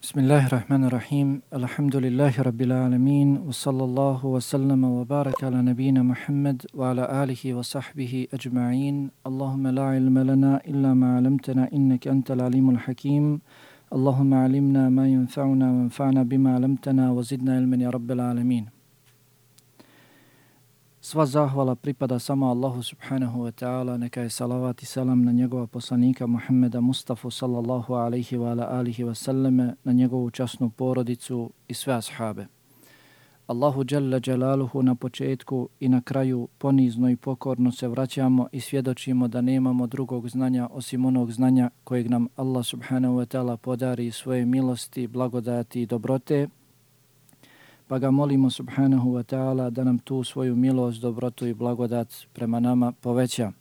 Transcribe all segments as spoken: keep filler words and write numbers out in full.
Bismillahirrahmanirrahim. Alhamdulillahi rabbil alamin. Wa sallallahu wa sallama wa baraka ala nabina Muhammad wa ala alihi wa sahbihi ajma'in. Allahumma la ilma lana illa ma 'allamtana innaka antal alimul hakim. Allahumma 'allimna ma yanfa'una wa anfa'na bima 'allamtana wa zidna ilman ya rabbil alamin. Sva zahvala pripada samo Allahu subhanahu wa ta'ala, neka je salavat i salam na njegova poslanika Muhammeda Mustafa sallallahu alaihi wa ala alihi wa sallame, na njegovu časnu porodicu i sve ashabe. Allahu dželle dželaluhu na početku i na kraju ponizno i pokorno se vraćamo i svjedočimo da nemamo drugog znanja osim onog znanja kojeg nam Allah subhanahu wa ta'ala podari svoje milosti, blagodati i dobrote, pa ga molimo subhanahu wa ta'ala da nam tu svoju milost, dobrotu i blagodat prema nama poveća.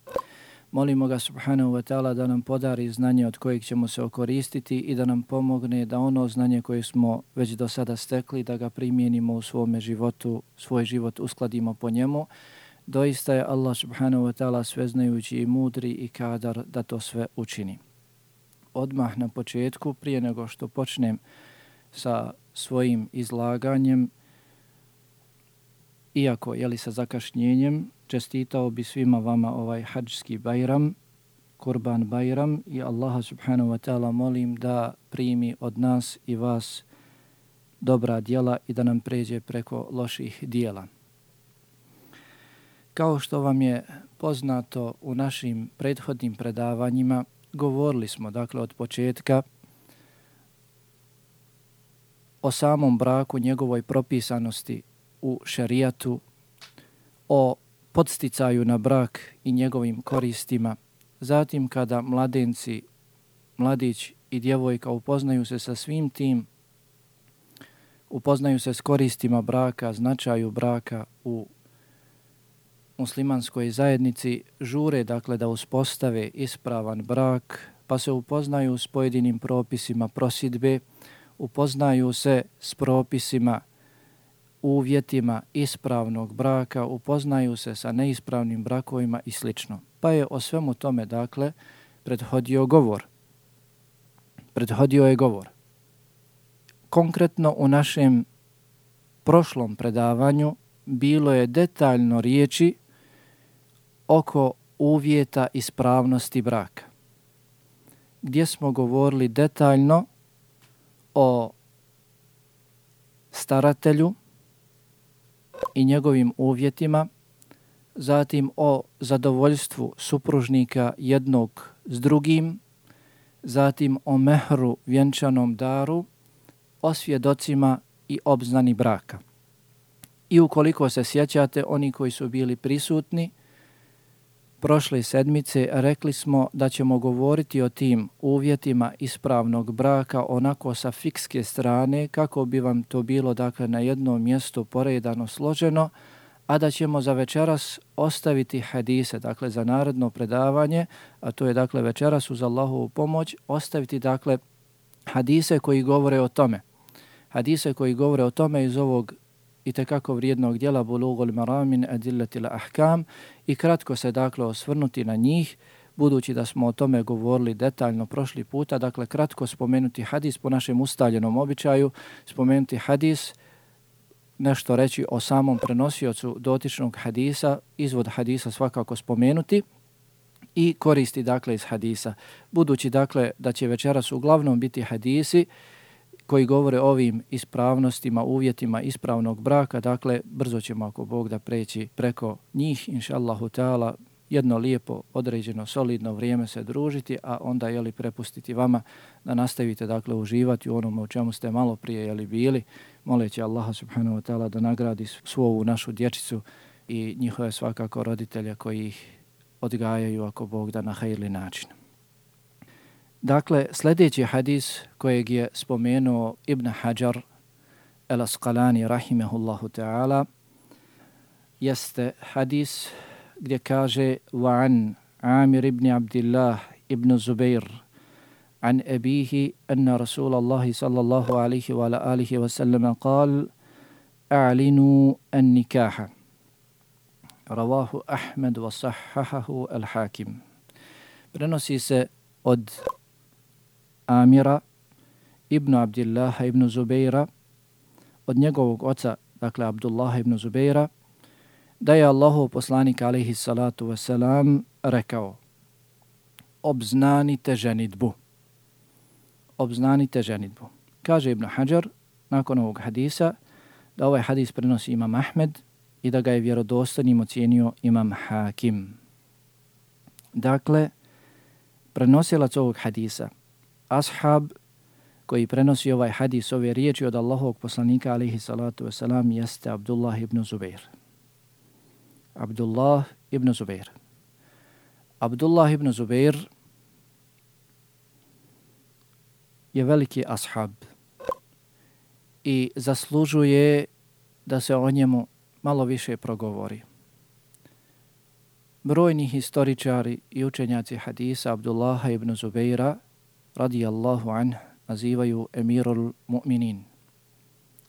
Molimo ga subhanahu wa ta'ala da nam podari znanje od kojeg ćemo se okoristiti i da nam pomogne da ono znanje koje smo već do sada stekli, da ga primijenimo u svome životu, svoj život uskladimo po njemu. Doista je Allah subhanahu wa ta'ala sveznajući i mudri i kadar da to sve učini. Odmah na početku, prije nego što počnem sa svojim izlaganjem, iako je li sa zakašnjenjem, čestitao bi svima vama ovaj hadžski bajram, Kurban bajram, i Allaha subhanahu wa ta'ala molim da primi od nas i vas dobra djela i da nam pređe preko loših djela. Kao što vam je poznato u našim prethodnim predavanjima, govorili smo dakle od početka o samom braku, njegovoj propisanosti u šerijatu, o podsticaju na brak i njegovim koristima. Zatim kada mladenci, mladić i djevojka upoznaju se sa svim tim, upoznaju se s koristima braka, značaju braka u muslimanskoj zajednici, žure dakle da uspostave ispravan brak, pa se upoznaju s pojedinim propisima prosidbe, upoznaju se s propisima, uvjetima ispravnog braka, upoznaju se sa neispravnim brakovima i slično. Pa je o svemu tome, dakle, prethodio govor. Prethodio je govor. Konkretno u našem prošlom predavanju bilo je detaljno riječi oko uvjeta ispravnosti braka, gdje smo govorili detaljno o staratelju i njegovim uvjetima, zatim o zadovoljstvu supružnika jednog s drugim, zatim o mehru, vjenčanom daru, o svjedocima i obznani braka. I ukoliko se sjećate, oni koji su bili prisutni prošle sedmice, rekli smo da ćemo govoriti o tim uvjetima ispravnog braka onako sa fikske strane, kako bi vam to bilo dakle na jednom mjestu poredano, složeno, a da ćemo za večeras ostaviti hadise, dakle za naredno predavanje, a to je dakle večeras uz Allahovu pomoć, ostaviti dakle hadise koji govore o tome. Hadise koji govore o tome iz ovog i tekako vrijednog djela Bulugul Maram min Adillatil Ahkam, i kratko se dakle osvrnuti na njih, budući da smo o tome govorili detaljno prošli puta. Dakle, kratko spomenuti hadis po našem ustaljenom običaju, spomenuti hadis, nešto reći o samom prenosiocu dotičnog hadisa, izvod hadisa svakako spomenuti i koristi dakle iz hadisa. Budući dakle da će večeras uglavnom biti hadisi koji govore o ovim ispravnostima, uvjetima ispravnog braka, dakle brzo ćemo ako Bog da preći preko njih, inša Allahu ta'ala, jedno lijepo, određeno, solidno vrijeme se družiti, a onda jeli prepustiti vama da nastavite dakle uživati u onome u čemu ste malo prije jeli bili, moleći Allaha subhanahu wa ta'ala da nagradi svu ovu našu dječicu i njihove svakako roditelje koji ih odgajaju ako Bog da na hajirli način. Dakle, sljedeći hadis kojeg je spomenuo Ibn Hajar el-Asqalani rahimehullahu ta'ala jeste hadis gdje kaže وعن عامر بن عبد الله ابن زبير عن أبيه أن رسول الله صلى الله عليه وعلى آله وسلم قال أعلنوا النكاح رواه أحمد وصححه الحاكم. Prenosi se od Amira ibn Abdillaha ibn Zubeira, od njegovog oca, dakle Abdullaha ibn Zubeira, da je Allahov poslanik alejhi salatu vesselam rekao: obznanite ženidbu. Obznanite ženidbu. Kaže Ibn Hajar nakon ovog hadisa da ovaj hadis prenosi Imam Ahmed i da ga je vjerodostojnim ocijenio Imam Hakim. Dakle, prenosilac ovog hadisa, ashab koji prenosi ovaj hadis, ove riječi od Allahovog poslanika alejhi salatu vesselam, jeste Abdullah ibn Zubeir. Abdullah ibn Zubeir. Abdullah ibn Zubeir je veliki ashab i zaslužuje da se o njemu malo više progovori. Brojni historičari i učenjaci hadisa Abdullaha ibn Zubeira radijallahu anhu nazivaju emirul mu'minin,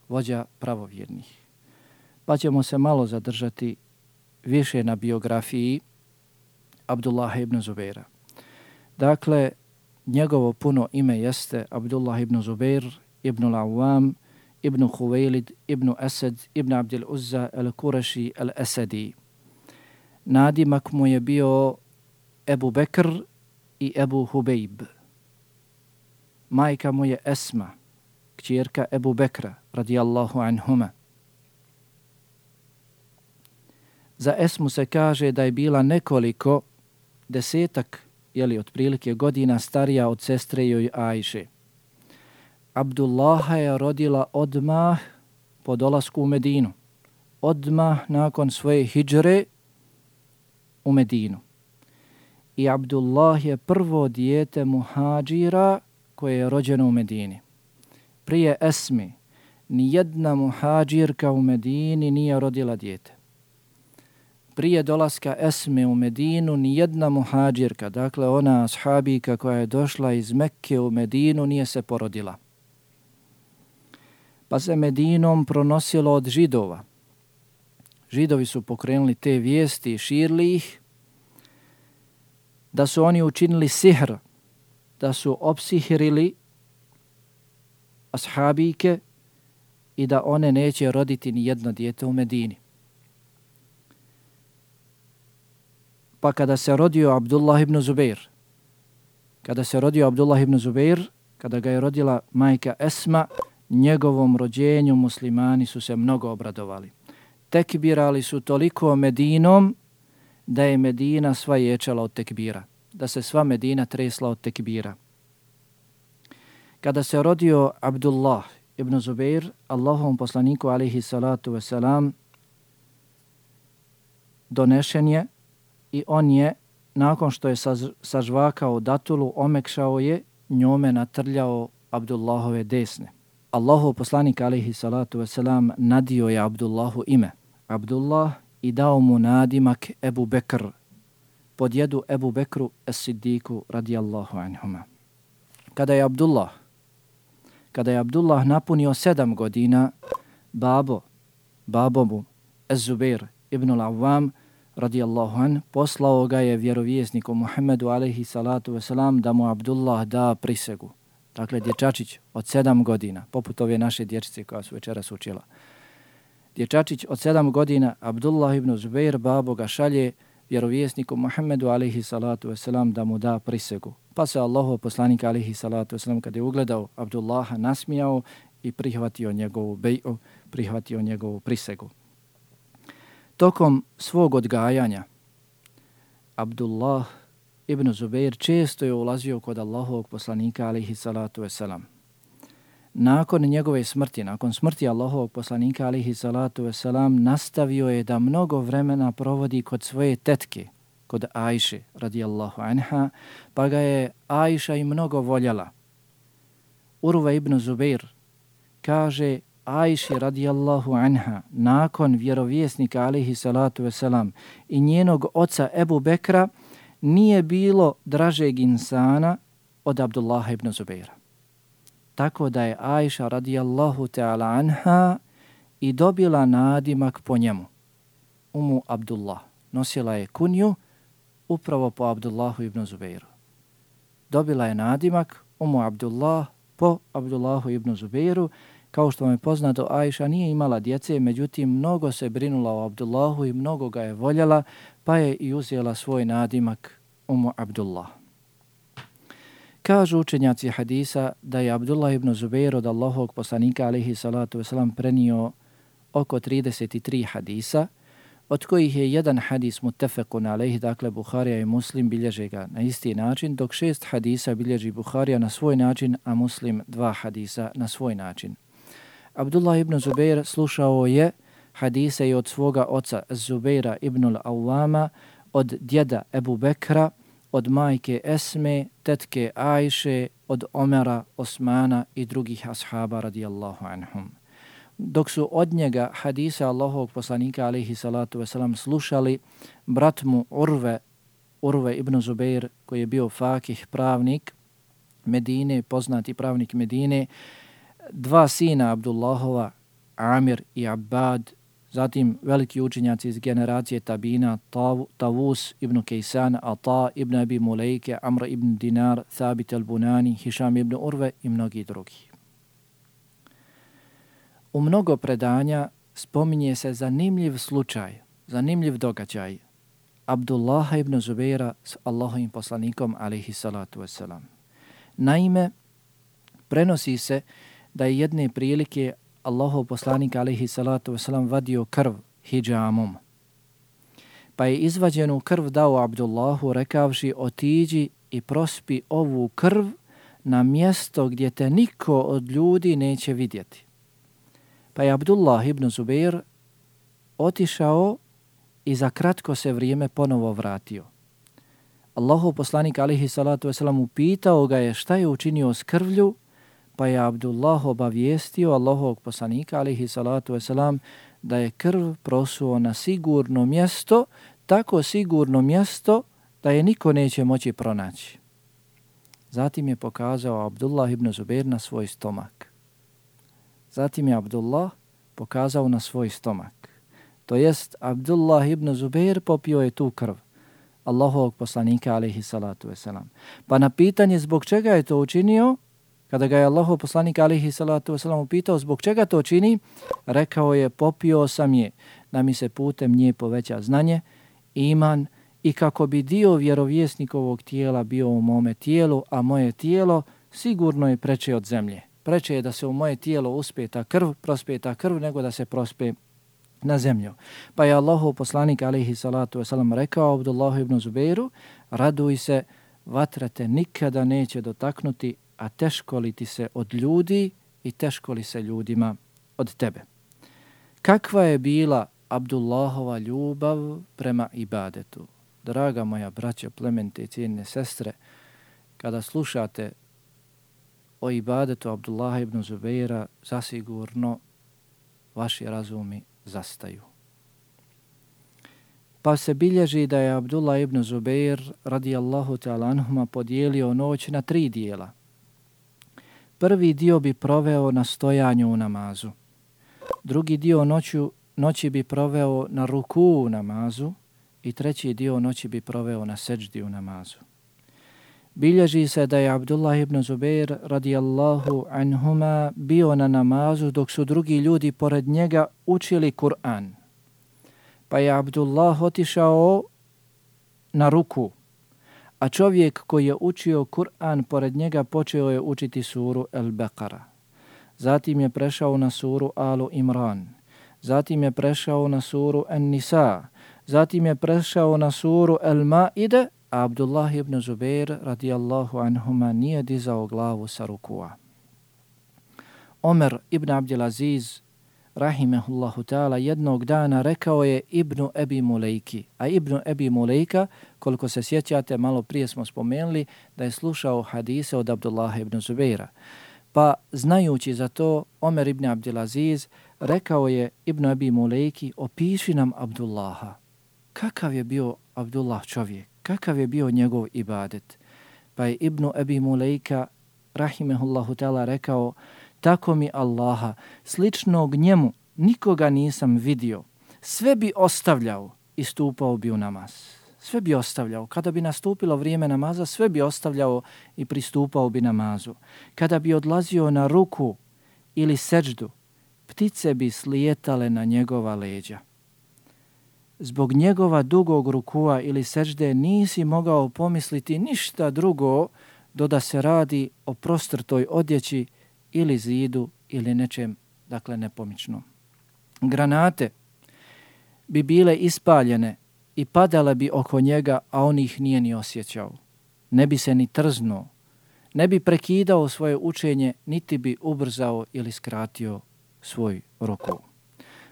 vođa pravovjernih. Pa ćemo se malo zadržati više na biografiji Abdullaha ibn Zubeira. Dakle, njegovo puno ime jeste Abdullah ibn Zubeir ibn al-Awwam ibn Huwailid ibn Asad ibn Abdil Uzza al-Qurashi al-Asadi. Nadimak mu je bio Ebu Bekr i Ebu Hubejb. Majka mu je Esma, kćerka Ebu Bekra, radijallahu anhuma. Za Esmu se kaže da je bila nekoliko desetak, jeli otprilike godina starija od sestre joj Ajše. Abdullaha je rodila odmah po dolasku u Medinu. Odmah nakon svoje hidžre u Medinu. I Abdullah je prvo dijete muhađira koje je rođeno u Medini. Prije Esmi nijedna muhađirka u Medini nije rodila dijete. Prije dolaska Esme u Medinu nijedna muhađirka, dakle ona ashabika koja je došla iz Mekke u Medinu, nije se porodila. Pa se Medinom pronosilo od Židova. Židovi su pokrenuli te vijesti i širili ih, da su oni učinili sihr, da su opsihirili ashabike i da one neće roditi ni jedno dijete u Medini. Pa kada se rodio Abdullah ibn Zubeir, kada se rodio Abdullah ibn Zubeir, kada ga je rodila majka Esma, njegovom rođenju muslimani su se mnogo obradovali. Tekbirali su toliko Medinom da je Medina sva ječala od tekbira, da se sva Medina tresla od tekbira. Kada se rodio Abdullah ibn Zubeir, Allahovom poslaniku alejhi salatu vesselam donešen je i on je, nakon što je sažvakao datulu, omekšao je, njome natrljao Abdullahove desne. Allahov poslanik alejhi salatu vesselam nadio je Abdullahu ime Abdullah i dao mu nadimak Ebu Bekr, pod jedu Ebu Bekru es-Siddiku radijallahu anhuma. Kada je Abdullah, kada je Abdullah napunio sedam godina, babo, babo mu, Ez-Zubeir ibn al-Awwam radijallahu an, poslao ga je vjerovjesniku Muhammedu alejhi salatu vesselam da mu Abdullah da prisegu. Dakle, dječačić od sedam godina, poput ove naše dječice koja su večeras učila. Dječačić od sedam godina, Abdullah ibn Zubeir, babo ga šalje vjerovjesniku Muhammedu alejhi salatu vesselam da mu da prisegu. Pa se Allahov poslanik alejhi salatu vesselam kada je ugledao Abdullaha nasmijao i prihvatio njegovu bej'u, prihvatio njegovu prisegu. Tokom svog odgajanja Abdullah ibn Zubeir često je ulazio kod Allahovog poslanika alejhi salatu vesselam. Nakon njegove smrti, nakon smrti Allahovog poslanika alejhi salatu vesselam, nastavio je da mnogo vremena provodi kod svoje tetke, kod Ajše radijallahu anha, pa ga je Ajša i mnogo voljela. Urva ibn Zubeir kaže Ajši radijallahu anha, nakon vjerovjesnika alejhi salatu vesselam i njenog oca Ebu Bekra, nije bilo dražeg insana od Abdullaha ibn Zubeira. Tako da je Ajša radijallahu ta'ala anha i dobila nadimak po njemu. Umu Abdullah. Nosila je kunju upravo po Abdullahu ibn Zubeiru. Dobila je nadimak Umu Abdullah po Abdullahu ibn Zubeiru. Kao što vam je poznato, Ajša nije imala djece, međutim mnogo se brinula o Abdullahu i mnogo ga je voljela, pa je i uzela svoj nadimak Umu Abdullah. Kažu učenjaci hadisa da je Abdullah ibn Zubeir od Allahovog poslanika alejhi salatu vesselam prenio oko trideset tri hadisa, od kojih je jedan hadis muttefekun alejhi, dakle Buharija i Muslim bilježe ga na isti način, dok šest hadisa bilježi Buharija na svoj način, a Muslim dva hadisa na svoj način. Abdullah ibn Zubeir slušao je hadise i od svoga oca Zubeira ibn al-Awwama, od djeda Ebu Bekra, od majke Esme, tetke Ajše, od Omera, Osmana i drugih ashaba radijallahu anhum. Dok su od njega hadisa Allahovog poslanika alejhi salatu vesselam slušali brat mu Urve, Urve ibn Zubeir, koji je bio fakih, pravnik Medine, poznati pravnik Medine, dva sina Abdullahova, Amir i Abbad, zatim veliki učenjaci iz generacije Tabina, Tav, Tavus ibn Kejsan, Ata ibn Abi Mulejke, Amr ibn Dinar, Thabit al-Bunani, Hišam ibn Urve i mnogi drugi. U mnogo predanja spominje se zanimljiv slučaj, zanimljiv događaj Abdullaha ibn Zubeira s Allahovim poslanikom alejhi salatu vesselam. Naime, prenosi se da je jedne prilike Allahov poslanik alejhi salatu vesselam vadio krv hidžamom. Pa je izvađenu krv dao Abdullahu rekavši: otiđi i prospi ovu krv na mjesto gdje te niko od ljudi neće vidjeti. Pa je Abdullah ibn Zubeir otišao i za kratko se vrijeme ponovo vratio. Allahov poslanik alejhi salatu vesselam upitao ga je šta je učinio s krvlju, pa je Abdullah obavijestio Allahovog poslanika alejhi salatu vesselam da je krv prosuo na sigurno mjesto, tako sigurno mjesto da je niko neće moći pronaći. Zatim je pokazao Abdullah ibn Zubeir na svoj stomak. Zatim je Abdullah pokazao na svoj stomak. To jest, Abdullah ibn Zubeir popio je tu krv Allahovog poslanika alejhi salatu vesselam. Pa na pitanje zbog čega je to učinio, kada ga je Allahov poslanik alejhi salatu vesselam upitao zbog čega to čini, rekao je: popio sam je da mi se putem nje poveća znanje, iman i kako bi dio vjerovjesnikovog tijela bio u mome tijelu, a moje tijelo sigurno je preče od zemlje. Preče je da se u moje tijelo uspe ta krv, prospe ta krv, nego da se prospe na zemlju. Pa je Allahov poslanik alejhi salatu vesselam rekao Abdullahu ibn Zubeiru: raduj se, vatra te nikada neće dotaknuti, a teško li ti se od ljudi i teško li se ljudima od tebe. Kakva je bila Abdullahova ljubav prema ibadetu? Draga moja braćo, plemente i cijene sestre, kada slušate o ibadetu Abdullaha ibn Zubeira, zasigurno vaši razumi zastaju. Pa se bilježi da je Abdullah ibn Zubeir radijallahu ta'ala anhuma podijelio noć na tri dijela. Prvi dio bi proveo na stojanju u namazu. Drugi dio noću, noći bi proveo na ruku u namazu i treći dio noći bi proveo na seđdi u namazu. Bilježi se da je Abdullah ibn Zubeir radijallahu anhuma bio na namazu dok su drugi ljudi pored njega učili Kur'an. Pa je Abdullah otišao na ruku, a čovjek koji je učio Kur'an pored njega počeo je učiti suru Al-Baqara. Zatim je prešao na suru Alu Imran. Zatim je prešao na suru An-Nisa. Zatim je prešao na suru Al-Maide, a Abdullah ibn Zubeir radijallahu anhuma nije dizao glavu sa rukua. Omer ibn Abdelaziz rahimehullahu ta'ala jednog dana rekao je Ibnu Ebi Mulejki, a Ibnu Ebi Mulejka, koliko se sjećate, malo prije smo spomenuli da je slušao hadise od Abdullaha ibn Zubeira. Pa znajući za to, Omer ibn Abdelaziz rekao je Ibnu Ebi Mulejki: opiši nam Abdullaha. Kakav je bio Abdullah čovjek? Kakav je bio njegov ibadet? Pa je Ibnu Ebi Mulejka rahimehullahu ta'ala rekao: tako mi Allaha, sličnog njemu nikoga nisam vidio. Sve bi ostavljao i stupao bi u namaz. sve bi ostavljao. Kada bi nastupilo vrijeme namaza, sve bi ostavljao i pristupao bi namazu. Kada bi odlazio na ruku ili seđdu, ptice bi slijetale na njegova leđa. Zbog njegova dugog rukua ili seđde nisi mogao pomisliti ništa drugo do da se radi o prostrtoj odjeći ili zidu ili nečem, dakle nepomičnom. Granate bi bile ispaljene i padale bi oko njega, a on ih nije ni osjećao. Ne bi se ni trznuo, ne bi prekidao svoje učenje, niti bi ubrzao ili skratio svoj ruku.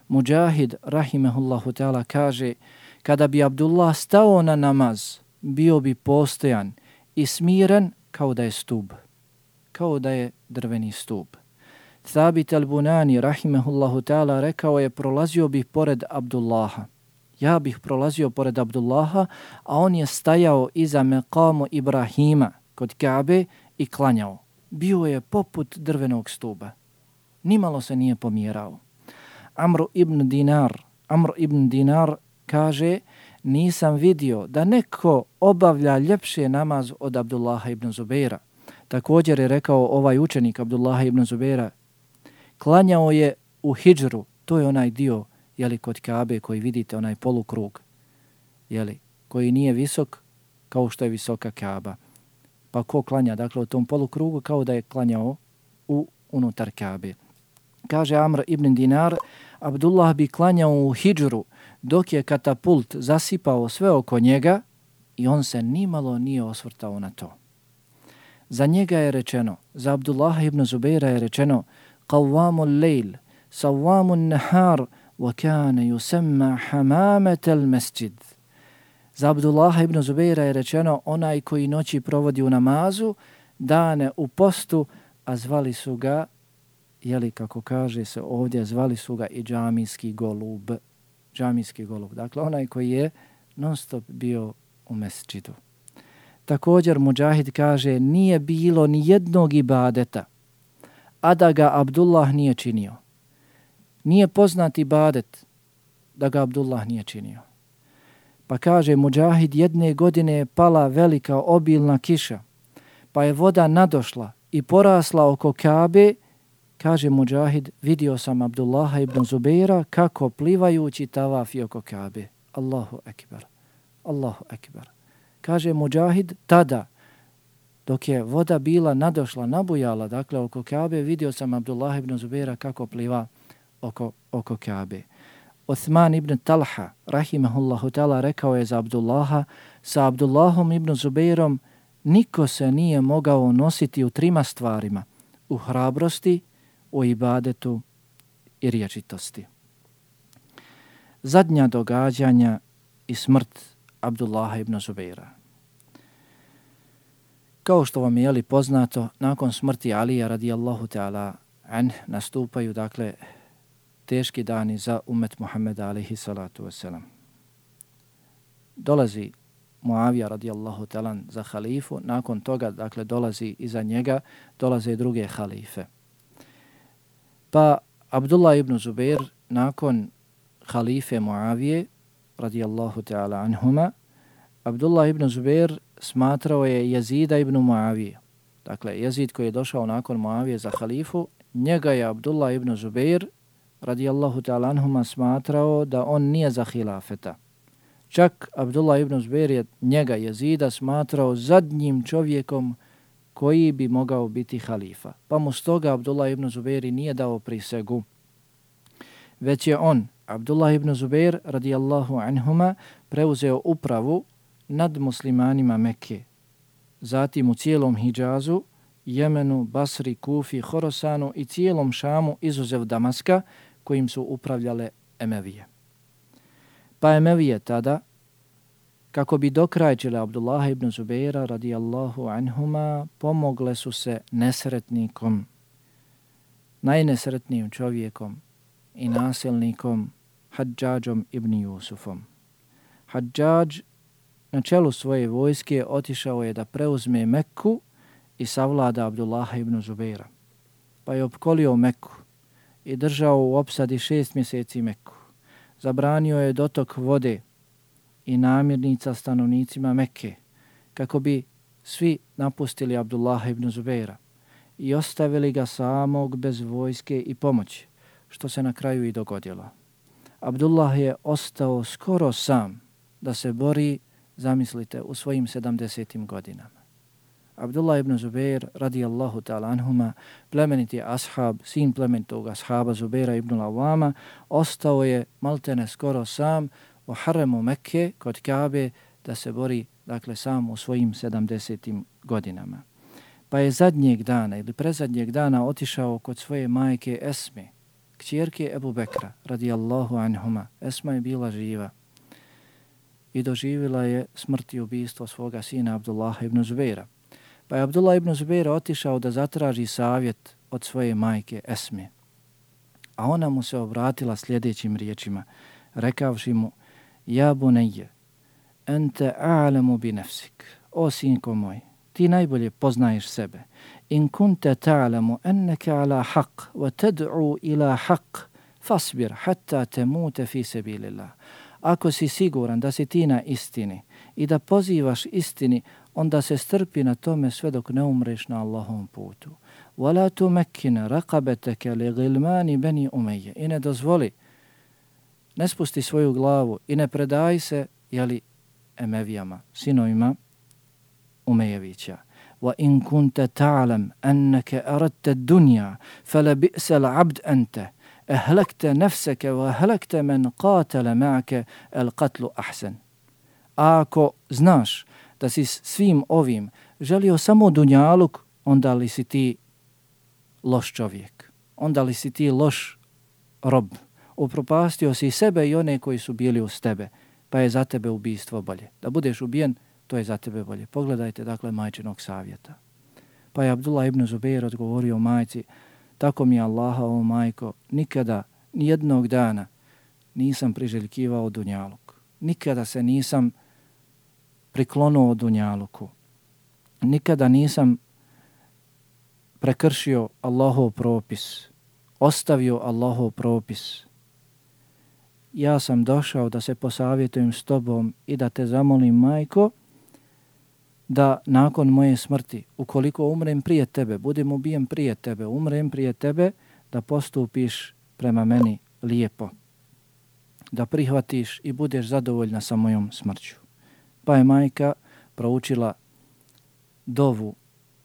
Mujahid, rahimehullahu ta'ala, kaže, kada bi Abdullah stao na namaz, bio bi postojan i smiren kao da je stub, kao da je drveni stub. Thabit al-Bunani, rahimehullahu ta'ala, rekao je, prolazio bih pored Abdullaha. Ja bih prolazio pored Abdullaha, a on je stajao iza meqamu Ibrahima kod Kabe i klanjao. Bio je poput drvenog stuba. Nimalo se nije pomjerao. Amr ibn Dinar, Amr ibn Dinar kaže, nisam vidio da neko obavlja ljepše namaz od Abdullaha ibn Zubeira. Također je rekao ovaj učenik Abdullaha ibn Zubeira, klanjao je u hidžru, to je onaj dio, jeli, kod Kabe koji vidite, onaj polukrug, jeli, koji nije visok kao što je visoka Kaba. Pa ko klanja, dakle, u tom polukrugu kao da je klanjao u unutar Kabe. Kaže Amr ibn Dinar, Abdullah bi klanjao u hidžru dok je katapult zasipao sve oko njega i on se nimalo nije osvrtao na to. Za njega je rečeno, za Abdullaha ibn Zubeira je rečeno, qawwamul lejl, sawwamun nahar, wa kana yusamma hamametel mesjid. Za Abdullaha ibn Zubeira je rečeno, onaj koji noći provodi u namazu, dane u postu, a zvali su ga, jeli, kako kaže se ovdje, zvali su ga i džamijski golub. Džamijski golub. Dakle, onaj koji je non stop bio u mesdžidu. Također Mujahid kaže, nije bilo ni jednog ibadeta, a da ga Abdullah nije činio. Nije poznat ibadet da ga Abdullah nije činio. Pa kaže Mujahid, jedne godine je pala velika obilna kiša, pa je voda nadošla i porasla oko Kabe. Kaže Mujahid, vidio sam Abdullaha ibn Zubeira kako plivajući tavafi oko Kabe. Allahu ekber, Allahu ekber. Kaže Mujahid, tada, dok je voda bila nadošla, nabujala, dakle oko Kabe, vidio sam Abdullaha ibn Zubeira kako pliva oko, oko Kabe. Uthman ibn Talha, rahimahullahu ta'ala, rekao je za Abdullaha, sa Abdullahom ibn Zubeirom niko se nije mogao nositi u trima stvarima, u hrabrosti, u ibadetu i riječitosti. Zadnja događanja i smrt Abdullaha ibn Zubeira. Kao što vam je jeli poznato, nakon smrti Alija radijallahu ta'ala an nastupaju, dakle, teški dani za umet Muhammeda alaihi salatu wasalam. Dolazi Muavija radijallahu ta'ala za halifu, nakon toga, dakle, dolazi iza njega, dolaze i druge halife. Pa Abdullah ibn Zubeir nakon halife Muavije radijallahu ta'ala anhuma, Abdullah ibn Zubeir smatrao je Jezida ibn Muavije. Dakle, Jezid koji je došao nakon Muavije za halifu, njega je Abdullah ibn Zubeir radijallahu ta'ala anhuma smatrao da on nije za hilafeta. Čak Abdullah ibn Zubeir je njega Jezida smatrao zadnjim čovjekom koji bi mogao biti halifa. Pa mu stoga Abdullah ibn Zubeir nije dao prisegu. Već je on, Abdullah ibn Zubeir radijallahu anhuma, preuzeo upravu nad muslimanima Mekke. Zatim u cijelom Hidžazu, Jemenu, Basri, Kufi, Horosanu i cijelom Šamu izuzev Damaska kojim su upravljale Emevije. Pa Emevije tada, kako bi dokrajčile Abdullaha ibn Zubeira radijallahu anhuma, pomogle su se nesretnikom, najnesretnijim čovjekom i nasilnikom Hadžadžom ibn Jusufom. Hadžadž na čelu svoje vojske otišao je da preuzme Mekku i savlada Abdullaha ibn Zubeira. Pa je opkolio Mekku i držao u opsadi šest mjeseci Mekku. Zabranio je dotok vode i namirnica stanovnicima Mekke, kako bi svi napustili Abdullaha ibn Zubeira i ostavili ga samog bez vojske i pomoći, što se na kraju i dogodilo. Abdullah je ostao skoro sam da se bori, zamislite, u svojim sedamdesetim godinama. Abdullah ibn Zubeir, radijallahu ta'ala anhuma, plemeniti ashab, sin plemenitog ashaba Zubeira ibn Awama, ostao je maltene skoro sam u haremu Mekke kod Kabe da se bori, dakle, sam u svojim sedamdesetim godinama. Pa je zadnjeg dana ili prezadnjeg dana otišao kod svoje majke Esme, kćerke Ebu Bekra, radijallahu anhuma. Esma je bila živa i doživjela je smrt i ubistvo svoga sina Abdullaha ibn Zubeira. Pa je Abdullah ibn Zubeira otišao da zatraži savjet od svoje majke Esme. A ona mu se obratila sljedećim riječima, rekavši mu: Ja bunayya, ente a'lamu bi nafsik. O sinko moj, ti najbolje poznaješ sebe. In kunta ta'lamu annaka ala haqq wa tad'u ila haqq fasbir hatta tamuta fi sabilillah. Ako si siguran da si ti na istini i da pozivaš istini, onda se strpi na tome sve dok ne umreš na Allahovom putu. Wala tumakkina raqabataka li ghilmani bani Umayya. I ne dozvoli, ne spusti svoju glavu i ne predaj se, jeli, Emevijama, sinovima Umejevića. Wa in kunta ta'lam annaka aradta ad-dunya fala bi'sa al-'abd anta. Ahlakta nafsaka wa ahlakta man qatala ma'aka al-qatlu ahsan. Ako znaš da si svim ovim želio samo dunjaluk, onda li si ti loš čovjek, onda li si ti loš rob. Upropastio si sebe i one koji su bili uz tebe, pa je za tebe ubistvo bolje. Da budeš ubijen, to je za tebe bolje. Pogledajte, dakle, majčinog savjeta. Pa je Abdullah ibn Zubeir odgovorio majci: Tako mi je Allaha, o majko, nikada, nijednog dana nisam priželjkivao dunjaluk. Nikada se nisam priklonuo dunjaluku. Nikada nisam prekršio Allahov propis, ostavio Allahov propis. Ja sam došao da se posavjetujem s tobom i da te zamolim, majko, da nakon moje smrti, ukoliko umrem prije tebe, budem ubijen prije tebe, umrem prije tebe, da postupiš prema meni lijepo, da prihvatiš i budeš zadovoljna sa mojom smrću. Pa je majka proučila dovu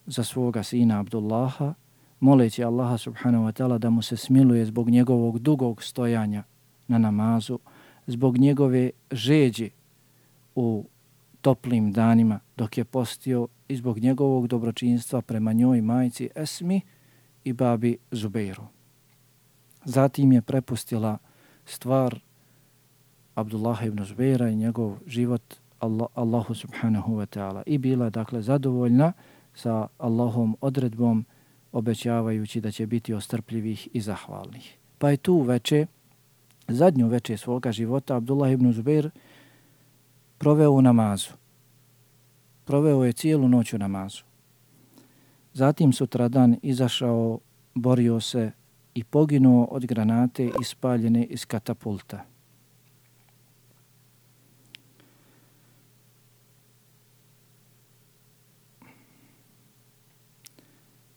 za svoga sina Abdullaha, moleći Allaha subhanahu wa ta'ala da mu se smiluje zbog njegovog dugog stojanja na namazu, zbog njegove žeđi u toplim danima dok je postio i zbog njegovog dobročinstva prema njoj majci Esmi i babi Zubeiru. Zatim je prepustila stvar Abdullaha ibn Zubeira i njegov život Allah, Allahu subhanahu wa ta'ala i bila, dakle, zadovoljna sa Allahom odredbom, obećavajući da će biti ostrpljivih i zahvalnih. Pa je tu veče, zadnju veče svoga života, Abdullah ibn Zubeir proveo u namazu. Proveo je cijelu noć u namazu. Zatim sutradan izašao, borio se i poginuo od granate ispaljene iz katapulta.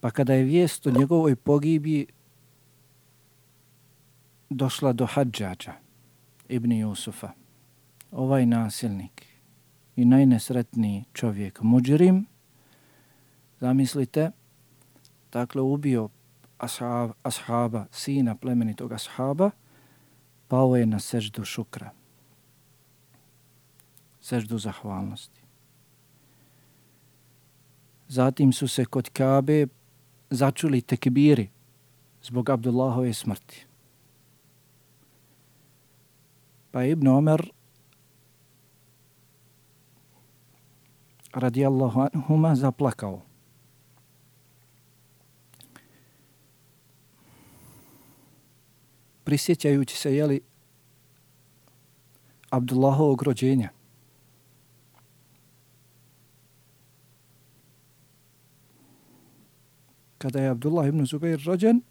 Pa kada je vijest o njegovoj pogibiji došla do Hadžađa ibn Jusufa, ovaj nasilnik i najnesretniji čovjek, muđrim, zamislite, dakle, ubio ashab, ashaba, sina plemenitog ashaba, pao je na seždu šukra, seždu zahvalnosti. Zatim su se kod Kabe začuli tekbiri zbog Abdullahove smrti. Pa je Ibn Omer radijallahu anhuma zaplakao. Prisjećajući se, jeli, Abdullahovog rođenja. Kada je Abdullah ibn Zubeir rođen,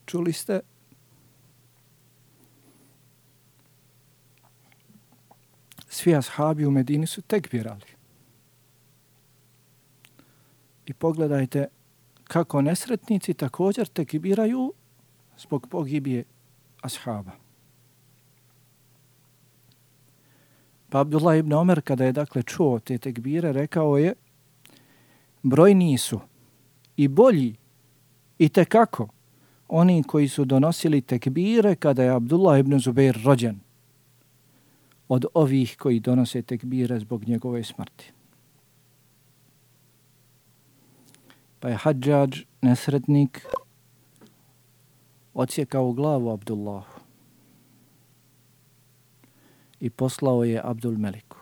čuli ste, svi ashabi u Medini su tekbirali. I pogledajte kako nesretnici također tekbiraju zbog pogibije ashaba. Pa Abdullah ibn Omer kada je dakle čuo te tekbire rekao je brojniji su i bolji i tekako oni koji su donosili tekbire kada je Abdullah ibn Zubair rođen od ovih koji donose tekbire zbog njegove smrti. Pa je Hadžadž, nesretnik, odsjekao glavu Abdullahu i poslao je Abdul Meliku.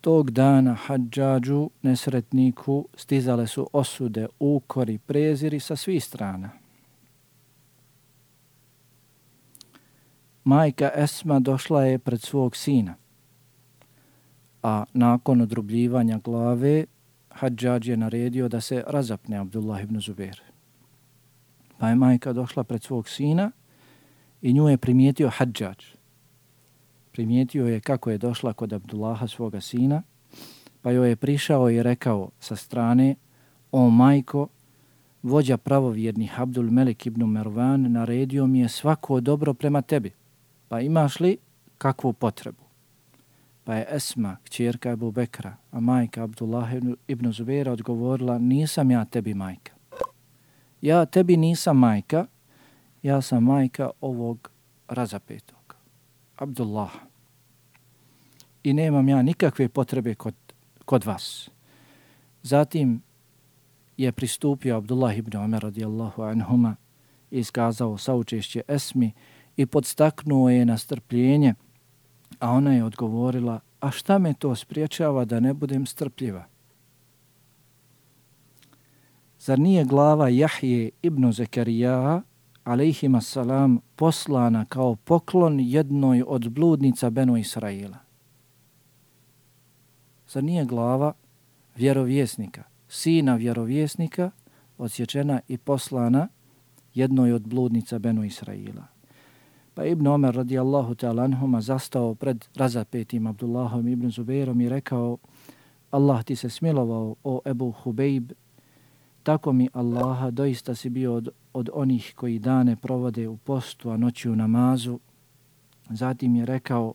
Tog dana Hadžadžu, nesretniku, stizale su osude, ukori, preziri sa svih strana. Majka Esma došla je pred svog sina, a nakon odrubljivanja glave Hadžadž je naredio da se razapne Abdullah ibn Zubair. Pa je majka došla pred svog sina i nju je primijetio Hadžadž. Primijetio je kako je došla kod Abdullaha svoga sina, pa joj je prišao i rekao sa strane: o majko, vođa pravovjernih Abdul Melik ibn Mervan naredio mi je svako dobro prema tebi, pa imaš li kakvu potrebu? Pa je Esma, kćerka Ebu Bekra, a majka Abdullah ibn Zubaira odgovorila: nisam ja tebi majka. Ja tebi nisam majka, ja sam majka ovog razapetog, Abdullaha. I nemam ja nikakve potrebe kod, kod vas. Zatim je pristupio Abdullah ibn Omer radijallahu anhuma i iskazao saučešće Esmi i podstaknuo je na strpljenje, a ona je odgovorila: a šta me to spriječava da ne budem strpljiva? Zar nije glava Jahje ibn Zekarija, alejhima salam, poslana kao poklon jednoj od bludnica Benu Israila? Zar nije glava vjerovjesnika, sina vjerovjesnika, odsječena i poslana jednoj od bludnica Benu Israila? Pa Ibn Omer radijallahu ta'ala anhuma zastao pred razapetim Abdullahom ibn Zubairom i rekao: Allah ti se smilovao, o Ebu Hubejb, tako mi Allaha, doista si bio od, od onih koji dane provode u postu, a noći u namazu. Zatim je rekao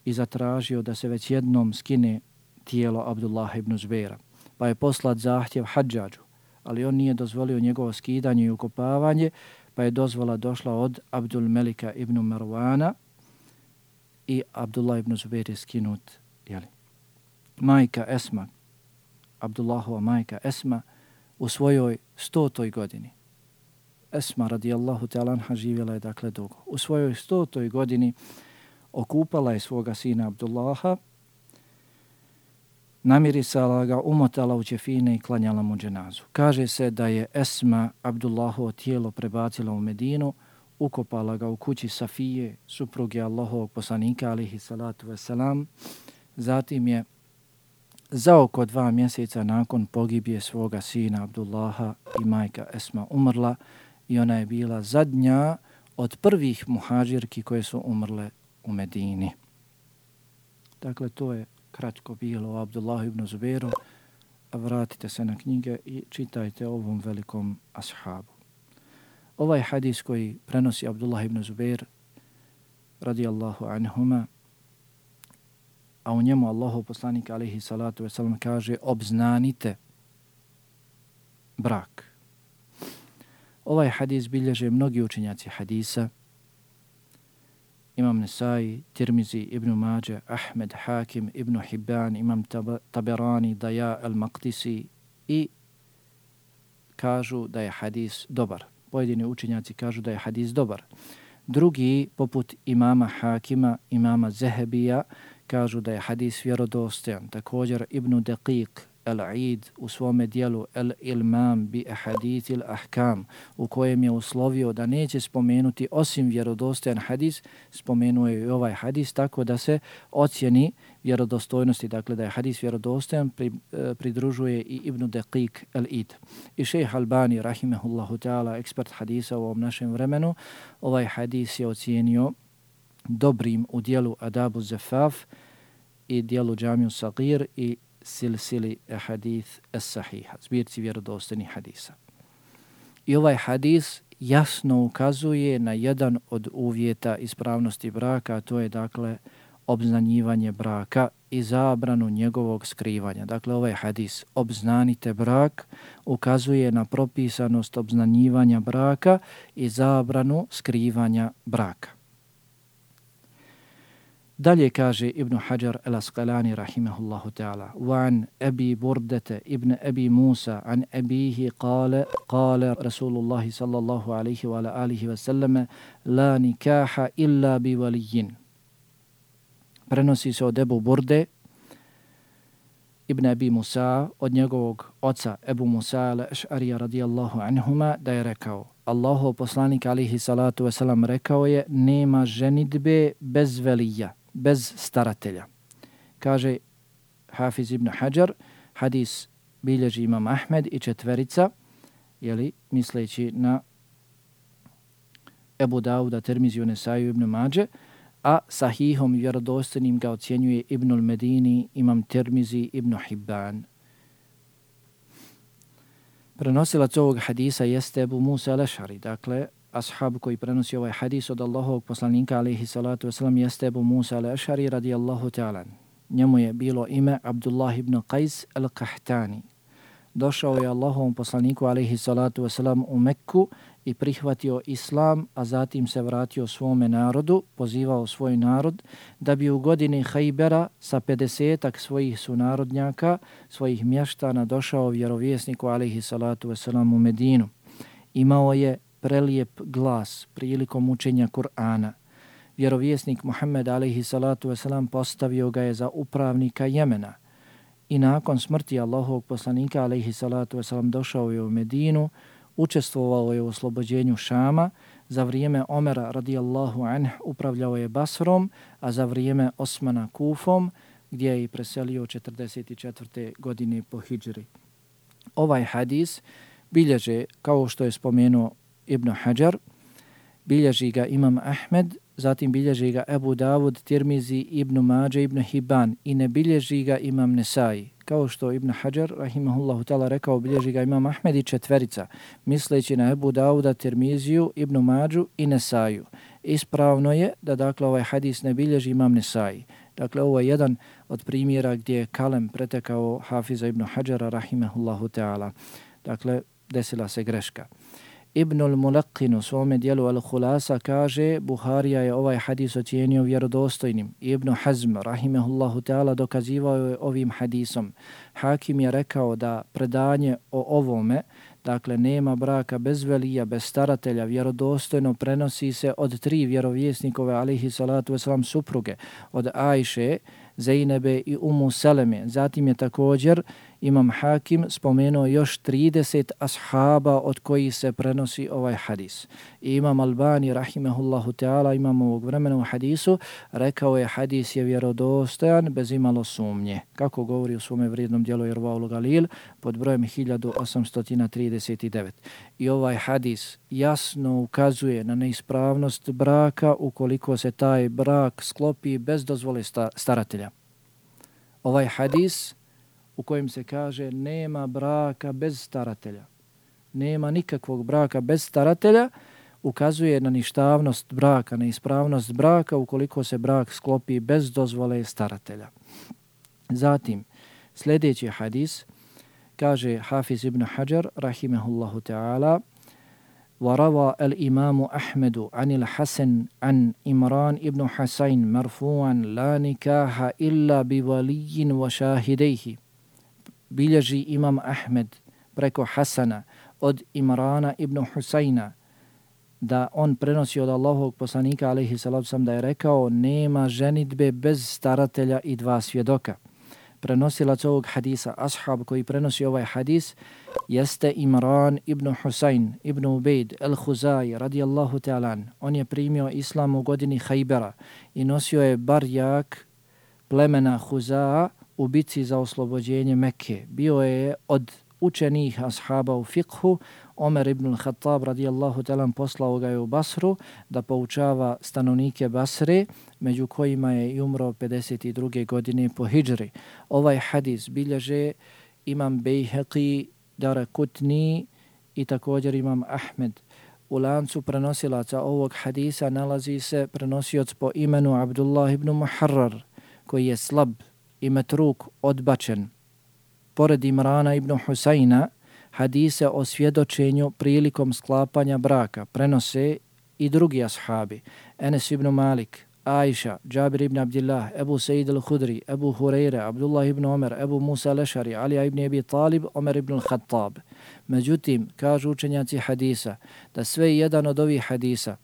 i zatražio da se već jednom skine tijelo Abdullah ibn Zubaira. Pa je poslat zahtjev Hadžadžu, ali on nije dozvolio njegovo skidanje i ukopavanje, pa je dozvola došla od Abdul Melika ibn Marwana i Abdullah ibn Zubair je skinut. Jeli. Majka Esma, Abdullahova majka Esma, u svojoj stotoj godini. Esma radijallahu ta'ala anha živjela je dakle dugo. U svojoj stotoj godini okupala je svoga sina Abdullaha, namirisala ga, umotala u ćefine i klanjala mu dženazu. Kaže se da je Esma Abdullahovo tijelo prebacila u Medinu, ukopala ga u kući Safije, supruge Allahovog poslanika alihi salatu wasalam. Zatim je za oko dva mjeseca nakon pogibije svoga sina Abdullaha i majka Esma umrla i ona je bila zadnja od prvih muhađirki koje su umrle u Medini. Dakle, to je kratko bilo o Abdullahu ibn Zubairu, a vratite se na knjige i čitajte o ovom velikom ashabu. Ovaj hadis koji prenosi Abdullah ibn Zubair radijallahu anhuma, a u njemu Allahov poslanik alejhi salatu vesselam kaže: obznanite brak. Ovaj hadis bilježe mnogi učenjaci hadisa, Imam Nesai, Tirmizi, Ibn Mađe, Ahmed, Hakim, Ibn Hibban, Imam Taberani, Daja, Al-Maqdisi, i kažu da je hadis dobar. Pojedini učenjaci kažu da je hadis dobar. Drugi, poput imama Hakima, imama Zehebija, kažu da je hadis vjerodostojan. Također Ibn Daqiq Al-Eid u svome dijelu Al-Ilmam bi ahadith al-ahkam, u kojem je uslovio da neće spomenuti osim vjerodostojan hadis, spomenuo je i ovaj hadis, tako da se ocjeni vjerodostojnosti, dakle da je hadis vjerodostojan, pri, pridružuje i Ibn Daqiq Al-Eid. I šejh Albani, rahimehullahu ta'ala, ekspert hadisa u ovom našem vremenu, ovaj hadis je ocijenio dobrim u dijelu Adabu Zafaf i dijelu Džamiju Sagir i silsili hadith es-sahiha, zbirci vjerodostojnih hadisa. I ovaj hadis jasno ukazuje na jedan od uvjeta ispravnosti braka, a to je dakle obznanjivanje braka i zabranu njegovog skrivanja. Dakle, ovaj hadis obznanite brak ukazuje na propisanost obznanjivanja braka i zabranu skrivanja braka. Dalje kaže Ibn Hajar al-Asqalani rahimahullahu ta'ala: "Wa Abi Burdata ibn Abi Musa an abihi qala qala Rasulullah sallallahu alayhi wa ala alihi wa sallam la nikaha illa bi waliyin." Prenosi se od Ebu Burde ibn Abi Musa, od njegovog oca Ebu Musa al-Eš'arija radijallahu anhuma, da je rekao: Allahov poslanik alihi salatu wasalam rekao je: nema ženidbe bez velija, bez staratelja. Kaže Hafiz ibn Hajar, hadis bilježi Imam Ahmed i četverica, jeli, misleći na Ebu Dauda, Tirmiziju, Nesaju, Ibn Mađe, a sahihom i vjerodostojnim ga ocjenjuje Ibnul Medini, Imam Tirmizi, Ibn Hibban. Prenosilac ovog hadisa jeste Ebu Musa al-Eš'ari, dakle, ashab koji prenosi ovaj hadis od Allahovog poslanika alejhi salatu vesselam jeste Ebu Musa al-Eš'ari radijallahu ta'ala. Njemu je bilo ime Abdullah ibn Qais al-Qahtani. Došao je Allahovom poslaniku alejhi salatu vesselam u Mekku i prihvatio islam, a zatim se vratio svome narodu, pozivao svoj narod da bi u godini Hajbera sa pedesetak svojih sunarodnjaka, svojih mještana došao vjerovjesniku alejhi salatu vesselam u Medinu. Imao je prelijep glas prilikom učenja Kur'ana. Vjerovjesnik Muhammed alejhi salatu vesselam postavio ga je za upravnika Jemena i nakon smrti Allahovog poslanika alejhi salatu vesselam došao je u Medinu, učestvovao je u oslobođenju Šama, za vrijeme Omera radijallahu anh upravljao je Basrom, a za vrijeme Osmana Kufom, gdje je i preselio četrdeset četvrte godine po hidžri. Ovaj hadis bilježe, kao što je spomenuo Ibn Hajar, bilježi ga Imam Ahmed, zatim bilježi ga Ebu Davud, Tirmizi, Ibn Mađe, Ibn Hibban i ne bilježi ga Imam Nesai. Kao što Ibn Hajar, rahimahullahu ta'ala, rekao, bilježi ga Imam Ahmed i četverica, misleći na Ebu Davuda, Tirmiziju, Ibn Mađu i Nesaju. Ispravno je da dakle ovaj hadis ne bilježi Imam Nesai. Dakle, ovo je jedan od primjera gdje je kalem pretekao Hafiza Ibn Hajara, rahimahullahu ta'ala. Dakle, desila se greška. Ibnul Mulaqin u svome dijelu Al-Khulasa kaže: Buharija je ovaj hadis ocijenio vjerodostojnim. Ibn Hazm, rahimehullahu ta'ala, dokazivao je ovim hadisom. Hakim je rekao da predanje o ovome, dakle nema braka bez velija, bez staratelja, vjerodostojno prenosi se od tri vjerovjesnikove alejhi salatu vesselam supruge, od Ajše, Zejnebe i Umu Seleme. Zatim je također Imam Hakim spomenuo još trideset ashaba od kojih se prenosi ovaj hadis. I Imam Albani, rahimehullahu ta'ala, imam ovog vremena u hadisu, rekao je hadis je vjerodostojan bez imalo sumnje. Kako govori u svome vrijednom dijelu Irvaul Galil pod brojem hiljadu osamsto trideset devet. I ovaj hadis jasno ukazuje na neispravnost braka ukoliko se taj brak sklopi bez dozvole staratelja. Ovaj hadis u kojem se kaže nema braka bez staratelja, nema nikakvog braka bez staratelja, ukazuje na ništavnost braka, na ispravnost braka ukoliko se brak sklopi bez dozvole staratelja. Zatim, sljedeći hadis, kaže Hafiz ibn Hajar, rahimehullahu ta'ala: وروى الإمام أحمد عن الحسن عن إمران ابن حسين مرفوعا لا نكاح إلا بولي وشاهديه. Bilježi Imam Ahmed preko Hasana od Imrana ibn Husajna da on prenosi od Allahovog poslanika alejhi salatu vesselam da je rekao: nema ženidbe bez staratelja i dva svjedoka. Prenosilac ovog hadisa, ashab koji prenosi ovaj hadis, jeste Imran ibn Husayn ibn Ubejd al-Khuzai radijallahu ta'ala. On je primio islam u godini Hajbera i nosio je barjak plemena Huzaa u bitci za oslobođenje Mekke. Bio je od najučenijih ashaba u fikhu. Omer ibn al-Khattab radijallahu ta'ala poslao ga je u Basru da poučava stanovnike Basre, među kojima je i umro pedeset druge godine po hidžri. Ovaj hadis bilježe imam Bejheqi, Darakutni i također imam Ahmed. U lancu prenosilaca ovog hadisa nalazi se prenosioc po imenu Abdullah ibn Muharrar, koji je slab i metruk odbačen. Pored Imrana ibn Husajna, hadise o svjedočenju prilikom sklapanja braka prenose i drugi ashabi. Enes ibn Malik, Aisha, Džabir ibn Abdillah, Ebu Sejid al-Hudri, Ebu Hureyre, Abdullah ibn Omer, Ebu Musa al-Ešari, Ali ibn Abi Talib, Omer ibn al-Khattab. Međutim, kažu učenjaci hadisa da sve jedan od ovih hadisa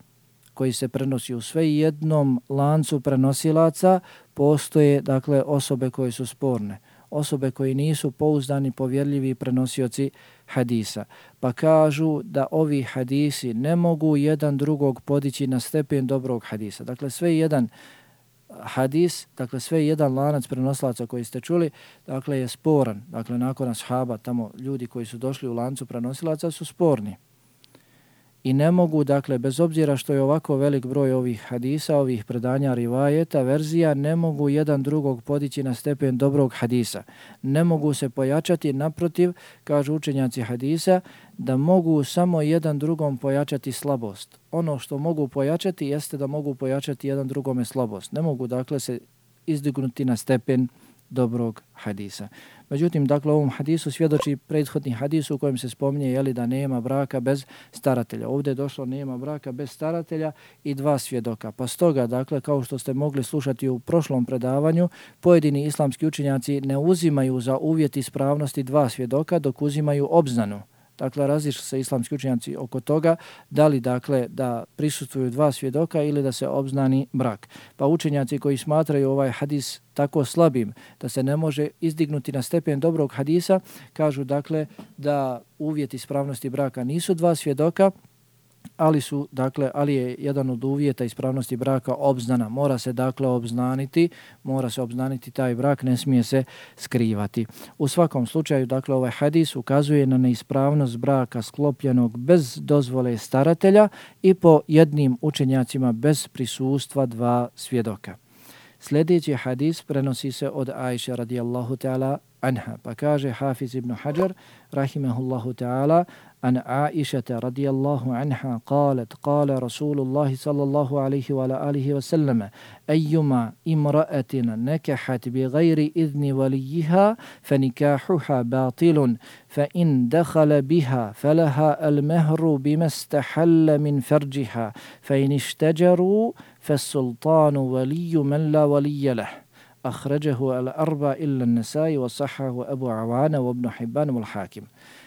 koji se prenosi u sve jednom lancu prenosilaca postoje dakle osobe koje su sporne, osobe koji nisu pouzdani, povjerljivi prenosioci hadisa. Pa kažu da ovi hadisi ne mogu jedan drugog podići na stepen dobrog hadisa. Dakle, sve jedan hadis, dakle sve jedan lanac prenosilaca koji ste čuli, dakle je sporan. Dakle, nakon ashaba, tamo ljudi koji su došli u lancu prenosilaca su sporni. I ne mogu, dakle, bez obzira što je ovako velik broj ovih hadisa, ovih predanja, rivajeta, verzija, ne mogu jedan drugog podići na stepen dobrog hadisa. Ne mogu se pojačati, naprotiv, kažu učenjaci hadisa, da mogu samo jedan drugom pojačati slabost. Ono što mogu pojačati jeste da mogu pojačati jedan drugome slabost. Ne mogu, dakle, se izdignuti na stepen dobrog hadisa. Međutim, dakle, ovom hadisu svjedoči prethodni hadis u kojem se spominje jeli, da nema braka bez staratelja. Ovdje je došlo nema braka bez staratelja i dva svjedoka. Pa stoga, dakle, kao što ste mogli slušati u prošlom predavanju, pojedini islamski učenjaci ne uzimaju za uvjet ispravnosti dva svjedoka, dok uzimaju obznanu. Dakle, različite se islamski učenjaci oko toga da li, dakle, da prisustvuju dva svjedoka ili da se obznani brak. Pa učenjaci koji smatraju ovaj hadis tako slabim da se ne može izdignuti na stepen dobrog hadisa, kažu, dakle, da uvjet ispravnosti braka nisu dva svjedoka, ali su, dakle, ali je jedan od uvjeta ispravnosti braka obznana. Mora se, dakle, obznaniti, mora se obznaniti taj brak, ne smije se skrivati. U svakom slučaju, dakle, ovaj hadis ukazuje na neispravnost braka sklopljenog bez dozvole staratelja i po jednim učenjacima bez prisustva dva svjedoka. Sljedeći hadis prenosi se od Aisha radijallahu ta'ala anha, pa kaže Hafiz ibn Hajar rahimahullahu ta'ala an Aisha radijallahu anha qalet qala Rasulullah sallallahu alaihi wa alihi wa sallam ayyuma imra'atin nakahat bi ghairi idni waliyiha fanikahuha batilun fa in dakhala biha falaha al-mahru bima istahalla min farjiha fa in ishtajaru فالسلطان ولي من لا ولي له أخرجه الأربع إلا النسائي وصححه أبو عوانة وابن حبان والحاكم.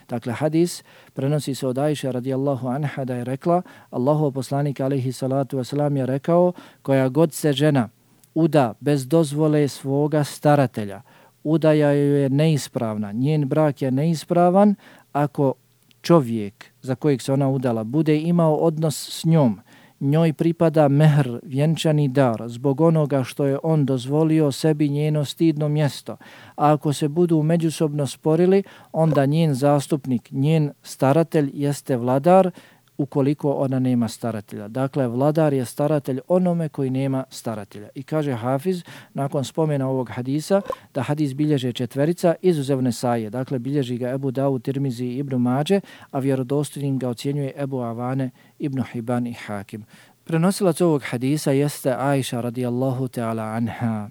Dakle, hadis prenosi se od Aisha radijallahu anha da je rekla, Allahov poslanik alejhi salatu vesselam je rekao, koja god se žena uda bez dozvole svoga staratelja, udaja joj je neispravna, njen brak je neispravan ako čovjek za kojeg se ona udala bude imao odnos s njom, njoj pripada mehr, vjenčani dar, zbog onoga što je on dozvolio sebi njeno stidno mjesto. A ako se budu međusobno sporili, onda njen zastupnik, njen staratelj jeste vladar, ukoliko ona nema staratelja. Dakle, vladar je staratelj onome koji nema staratelja. I kaže Hafiz, nakon spomena ovog hadisa, da hadis bilježe četverica izuzev Nesaije. Dakle, bilježi ga Ebu Davud, Tirmizi i Ibn Mađe, a vjerodostojnim ga ocjenjuje Ebu Avane, Ibn Hiban i Hakim. Prenosilac ovog hadisa jeste Aisha radijallahu ta'ala anha.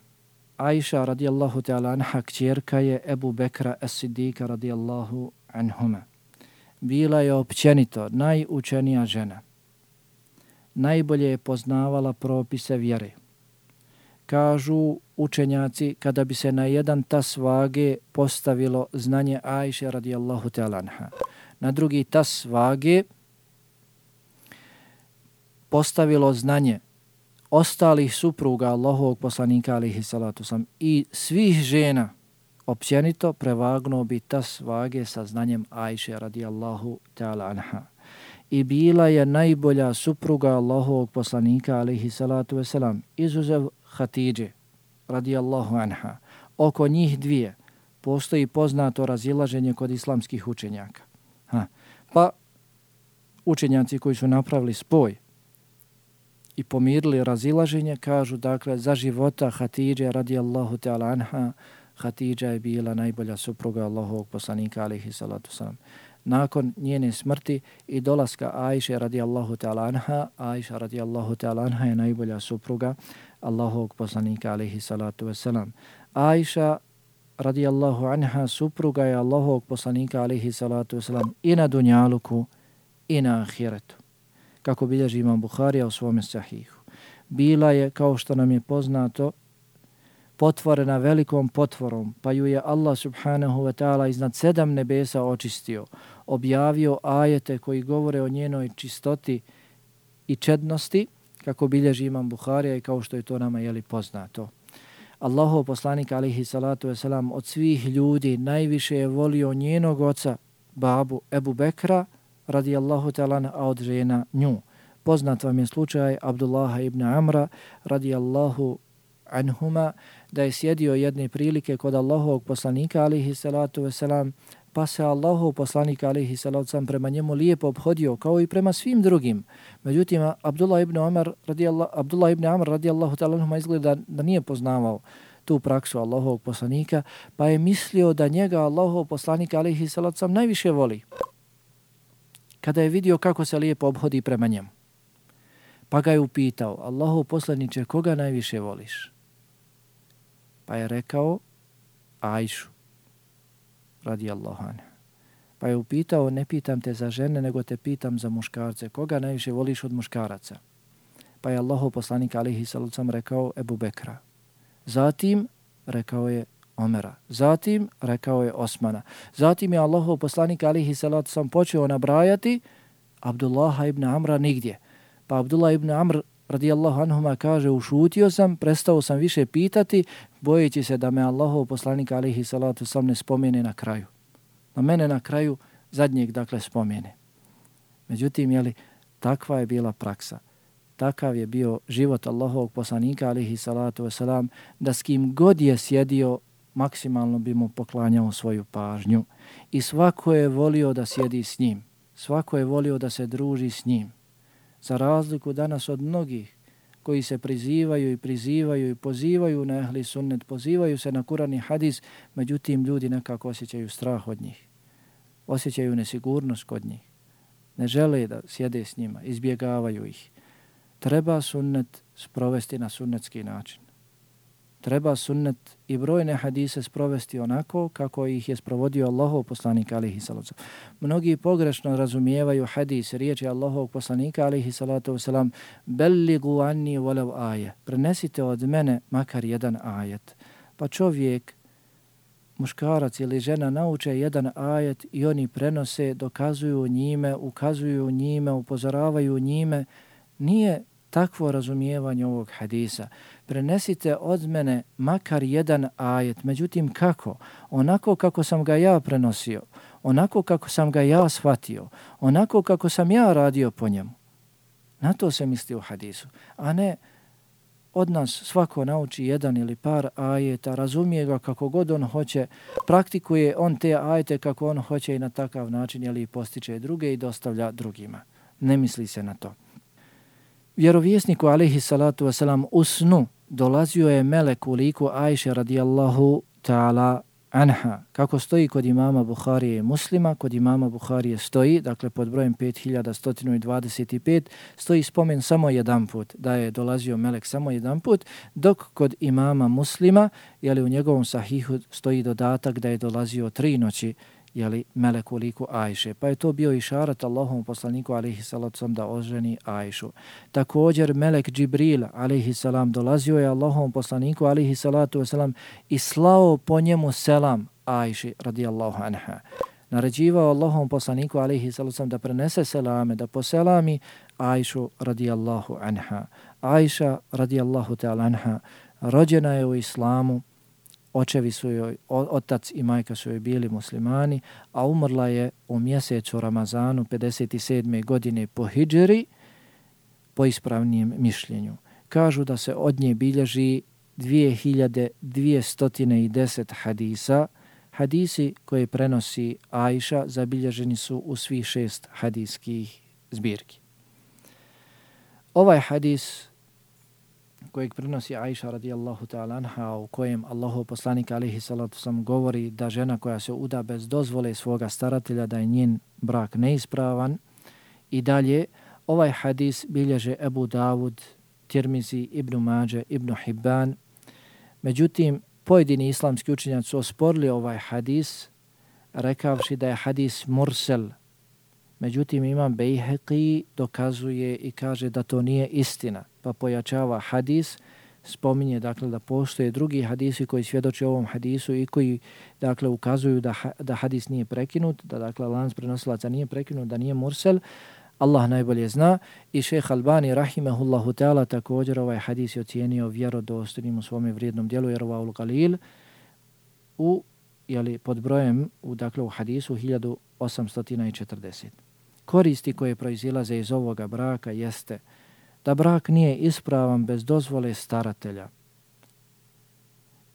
Aisha radijallahu ta'ala anha kćerka je Ebu Bekra as-Siddiqa radijallahu anhuma. Bila je općenito najučenija žena. Najbolje je poznavala propise vjere. Kažu učenjaci, kada bi se na jedan tas vage postavilo znanje Ajše radijallahu ta'ala anha, na drugi tas vage postavilo znanje ostalih supruga Allahovog poslanika alejhi salatu vesselam i svih žena, općenito prevagnuo bi tas vage sa znanjem Ajše radijallahu ta'ala anha. I bila je najbolja supruga Allahovog poslanika alejhi salatu vesselam, izuzev Hatidže radijallahu anha. Oko njih dvije postoji poznato razilaženje kod islamskih učenjaka. Ha. Pa učenjaci koji su napravili spoj i pomirili razilaženje kažu, dakle, za života Hatidže radijallahu ta'ala anha, Hatidža je bila najbolja supruga Allahovog poslanika alejhi salatu vesselam. Nakon njene smrti i dolaska Ajše radijallahu ta'ala anha, Ajša radijallahu ta'ala anha je najbolja supruga Allahovog poslanika alejhi salatu vesselam. Ajša radijallahu anha supruga je Allahovog poslanika alejhi salatu vesselam i na dunjaluku i na ahiretu. Kako bilježi imam Buharija u svome sahihu. Bila je, kao što nam je poznato, potvorena velikom potvorom, pa ju je Allah subhanahu wa ta'ala iznad sedam nebesa očistio, objavio ajete koji govore o njenoj čistoti i čednosti, kako bilježi imam Buharija i kao što je to nama jeli poznato. Allahov poslanik alejhi salatu vesselam od svih ljudi najviše je volio njenog oca, babu Ebu Bekra, radijallahu ta'ala, a od žena nju. Poznat vam je slučaj Abdullaha ibn Amra, radijallahu anhuma, da je sjedio jedne prilike kod Allahovog poslanika alejhi salatu vesselam, pa se Allahov poslanik alejhi salatu vesselam prema njemu lijepo obhodio kao i prema svim drugim. Međutim, Abdullah ibn Amr radijallahu Abdullah ibn Amr radijallahu ta'ala anhuma izgleda da nije poznavao tu praksu Allahovog poslanika, pa je mislio da njega Allahov poslanik alejhi salatu vesselam najviše voli. Kada je vidio kako se lijepo obhodi prema njemu, pa ga je upitao: Allahov poslaniče, koga najviše voliš? Pa je rekao: Ajšu radijallahu anha. Pa je upitao: ne pitam te za žene, nego te pitam za muškarce. Koga najviše voliš od muškaraca? Pa je Allahov poslanik alejhi salatu vesselam rekao: Ebu Bekra. Zatim rekao je Omera. Zatim rekao je Osmana. Zatim je Allahov poslanik alejhi salatu vesselam počeo nabrajati Abdullaha ibn Amra nigdje. Pa Abdullah ibn Amr radijallahu anhuma kaže: ušutio sam, prestao sam više pitati, bojeći se da me Allahov poslanik alejhi salatu vesselam ne spomene na kraju. Na mene na kraju zadnjeg, dakle, spomene. Međutim, jeli, takva je bila praksa. Takav je bio život Allahovog poslanika alejhi salatu vesselam, da s kim god je sjedio, maksimalno bi mu poklanjao svoju pažnju. I svako je volio da sjedi s njim. Svako je volio da se druži s njim. Za razliku danas od mnogih koji se prizivaju i prizivaju i pozivaju na ehli sunnet, pozivaju se na Kuran i hadis, međutim ljudi nekako osjećaju strah od njih. Osjećaju nesigurnost kod njih. Ne žele da sjede s njima, izbjegavaju ih. Treba sunnet sprovesti na sunnetski način. Treba sunnet i brojne hadise sprovesti onako kako ih je sprovodio Allahov poslanik alejhi salatu vesselam. Mnogi pogrešno razumijevaju hadis, riječi Allahovog poslanika alejhi salatu vesselam: belligu anni walau aje. Prenesite od mene makar jedan ajet. Pa čovjek, muškarac ili žena, nauče jedan ajet i oni prenose, dokazuju njime, ukazuju njime, upozoravaju njime. Nije takvo razumijevanje ovog hadisa. Prenesite od mene makar jedan ajet. Međutim, kako? Onako kako sam ga ja prenosio, onako kako sam ga ja shvatio, onako kako sam ja radio po njemu. Na to se misli u hadisu. A ne od nas svako nauči jedan ili par ajeta, razumije ga kako god on hoće, praktikuje on te ajete kako on hoće i na takav način, jeli, postiče druge i dostavlja drugima. Ne misli se na to. Vjerovjesniku alejhi salatu vesselam u snu dolazio je melek u liku Ajše radijallahu ta'ala anha. Kako stoji kod imama Buharije i Muslima, kod imama Buharije stoji, dakle pod brojem pet hiljada sto dvadeset pet, stoji spomen samo jedan put, da je dolazio melek samo jedan put, dok kod imama Muslima, jeli, u njegovom sahihu stoji dodatak da je dolazio tri noći, jeli, melek u liku Ajše. Pa je to bio išarat Allahovom poslaniku alejhi salatu vesselam da oženi Ajšu. Također melek Džibril alejhi salam dolazio je Allahovom poslaniku alejhi salatu vesselam i slao po njemu selam Ajši radijallahu anha. Naređivao Allahovom poslaniku alejhi salatu vesselam da prenese selame, da poselami Ajšu radijallahu anha. Ajša radijallahu ta'ala anha rođena je u islamu. Očevi su joj, otac i majka su joj bili muslimani, a umrla je u mjesecu Ramazanu pedeset sedme godine po hidžri, po ispravnijem mišljenju. Kažu da se od nje bilježi dvije hiljade dvjesto deset hadisa. Hadisi koje prenosi Ajša zabilježeni su u svih šest hadijskih zbirki. Ovaj hadis kojeg prenosi Ajša radijallahu ta'ala anha, u kojem Allahov poslanik alejhi salatu vesselam govori da žena koja se uda bez dozvole svoga staratelja da je njen brak neispravan, i dalje ovaj hadis bilježe Ebu Davud, Tirmizi, Ibn Mađe, Ibn Hibban. Međutim, pojedini islamski učenjaci su osporili ovaj hadis, rekavši da je hadis mursel. Međutim, imam Bejheqi dokazuje i kaže da to nije istina, pa pojačava hadis, spominje dakle da postoje drugi hadisi koji svjedoče ovom hadisu i koji dakle ukazuju da, da hadis nije prekinut, da dakle lanac prenosilaca nije prekinut, da nije mursel. Allah najbolje zna, i šejh Albani rahimehullahu ta'ala također ovaj hadis je ocijenio vjerodostojnim u svome vrijednom djelu Irvaul Galil u jeli, pod brojem u, dakle, u hadisu hiljadu osamsto četrdeset. Koristi koje proizilaze iz ovoga braka jeste da brak nije ispravan bez dozvole staratelja.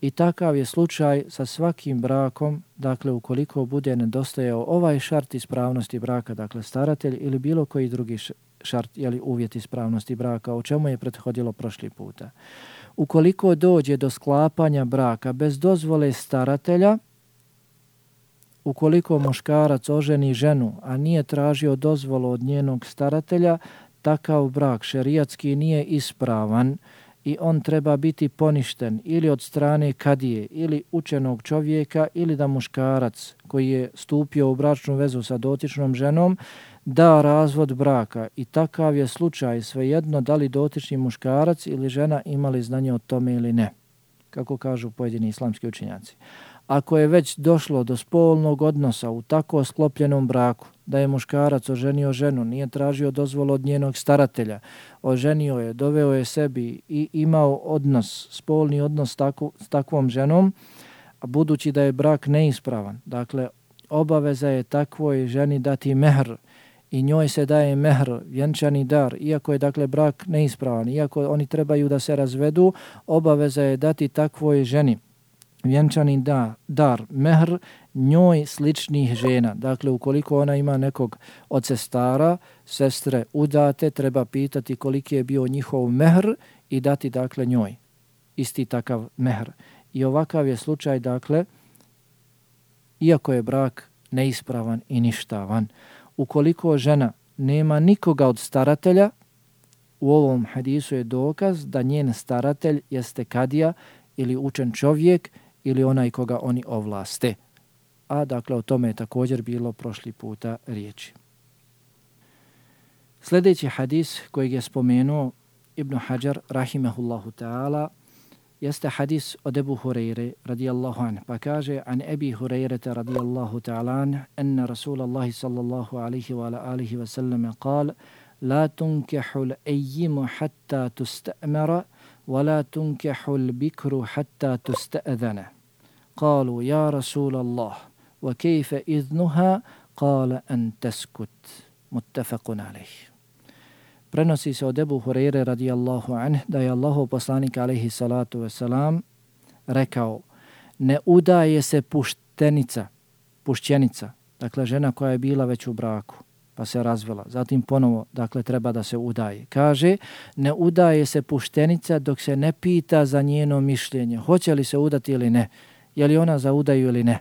I takav je slučaj sa svakim brakom, dakle ukoliko bude nedostajao ovaj šart ispravnosti braka, dakle staratelj ili bilo koji drugi šart, jeli uvjet ispravnosti braka, o čemu je prethodilo prošli puta. Ukoliko dođe do sklapanja braka bez dozvole staratelja, ukoliko muškarac oženi ženu, a nije tražio dozvolu od njenog staratelja, takav brak šerijatski nije ispravan i on treba biti poništen ili od strane kadije ili učenog čovjeka ili da muškarac koji je stupio u bračnu vezu sa dotičnom ženom da razvod braka. I takav je slučaj svejedno da li dotični muškarac ili žena imali znanje o tome ili ne, kako kažu pojedini islamski učenjaci. Ako je već došlo do spolnog odnosa u tako sklopljenom braku, da je muškarac oženio ženu, nije tražio dozvolu od njenog staratelja, oženio je, doveo je sebi i imao odnos, spolni odnos tako, s takvom ženom, a budući da je brak neispravan, dakle obaveza je takvoj ženi dati mehr i njoj se daje mehr, vjenčani dar, iako je dakle brak neispravan, iako oni trebaju da se razvedu, obaveza je dati takvoj ženi vjenčani da, dar, mehr, njoj sličnih žena. Dakle, ukoliko ona ima nekog od sestara, sestre udate, treba pitati koliki je bio njihov mehr i dati dakle njoj isti takav mehr. I ovakav je slučaj, dakle, iako je brak neispravan i ništavan. Ukoliko žena nema nikoga od staratelja, u ovom hadisu je dokaz da njen staratelj jeste kadija ili učen čovjek ili onaj koga oni ovlaste. A dakle o tome je također bilo prošli puta riječi. Sljedeći hadis kojeg je spomenuo Ibn Hajar rahimehullahu ta'ala jeste hadis od Ebu Hureyre radijallahu anh, pa kaže an Ebi Hureyrete radijallahu ta'ala anh enne Rasulallahi sallallahu alaihi wa alihi wa sallam kal la tunkehu l'ejjimu hatta tusta'mara ولا تنكح البكر حتى تستأذن قالوا يا رسول الله وكيف إذنها قال أن تسكت متفق عليه. Prenosi se od Ebu Hureyre radijallahu anh da je Allahov poslanik alejhi salatu vesselam rekao: ne udaje se puštenica, pušćenica, dakle žena koja je bila već u braku pa se razvela, zatim ponovo, dakle, treba da se udaje. Kaže, ne udaje se puštenica dok se ne pita za njeno mišljenje, hoće li se udati ili ne, je li ona za udaju ili ne.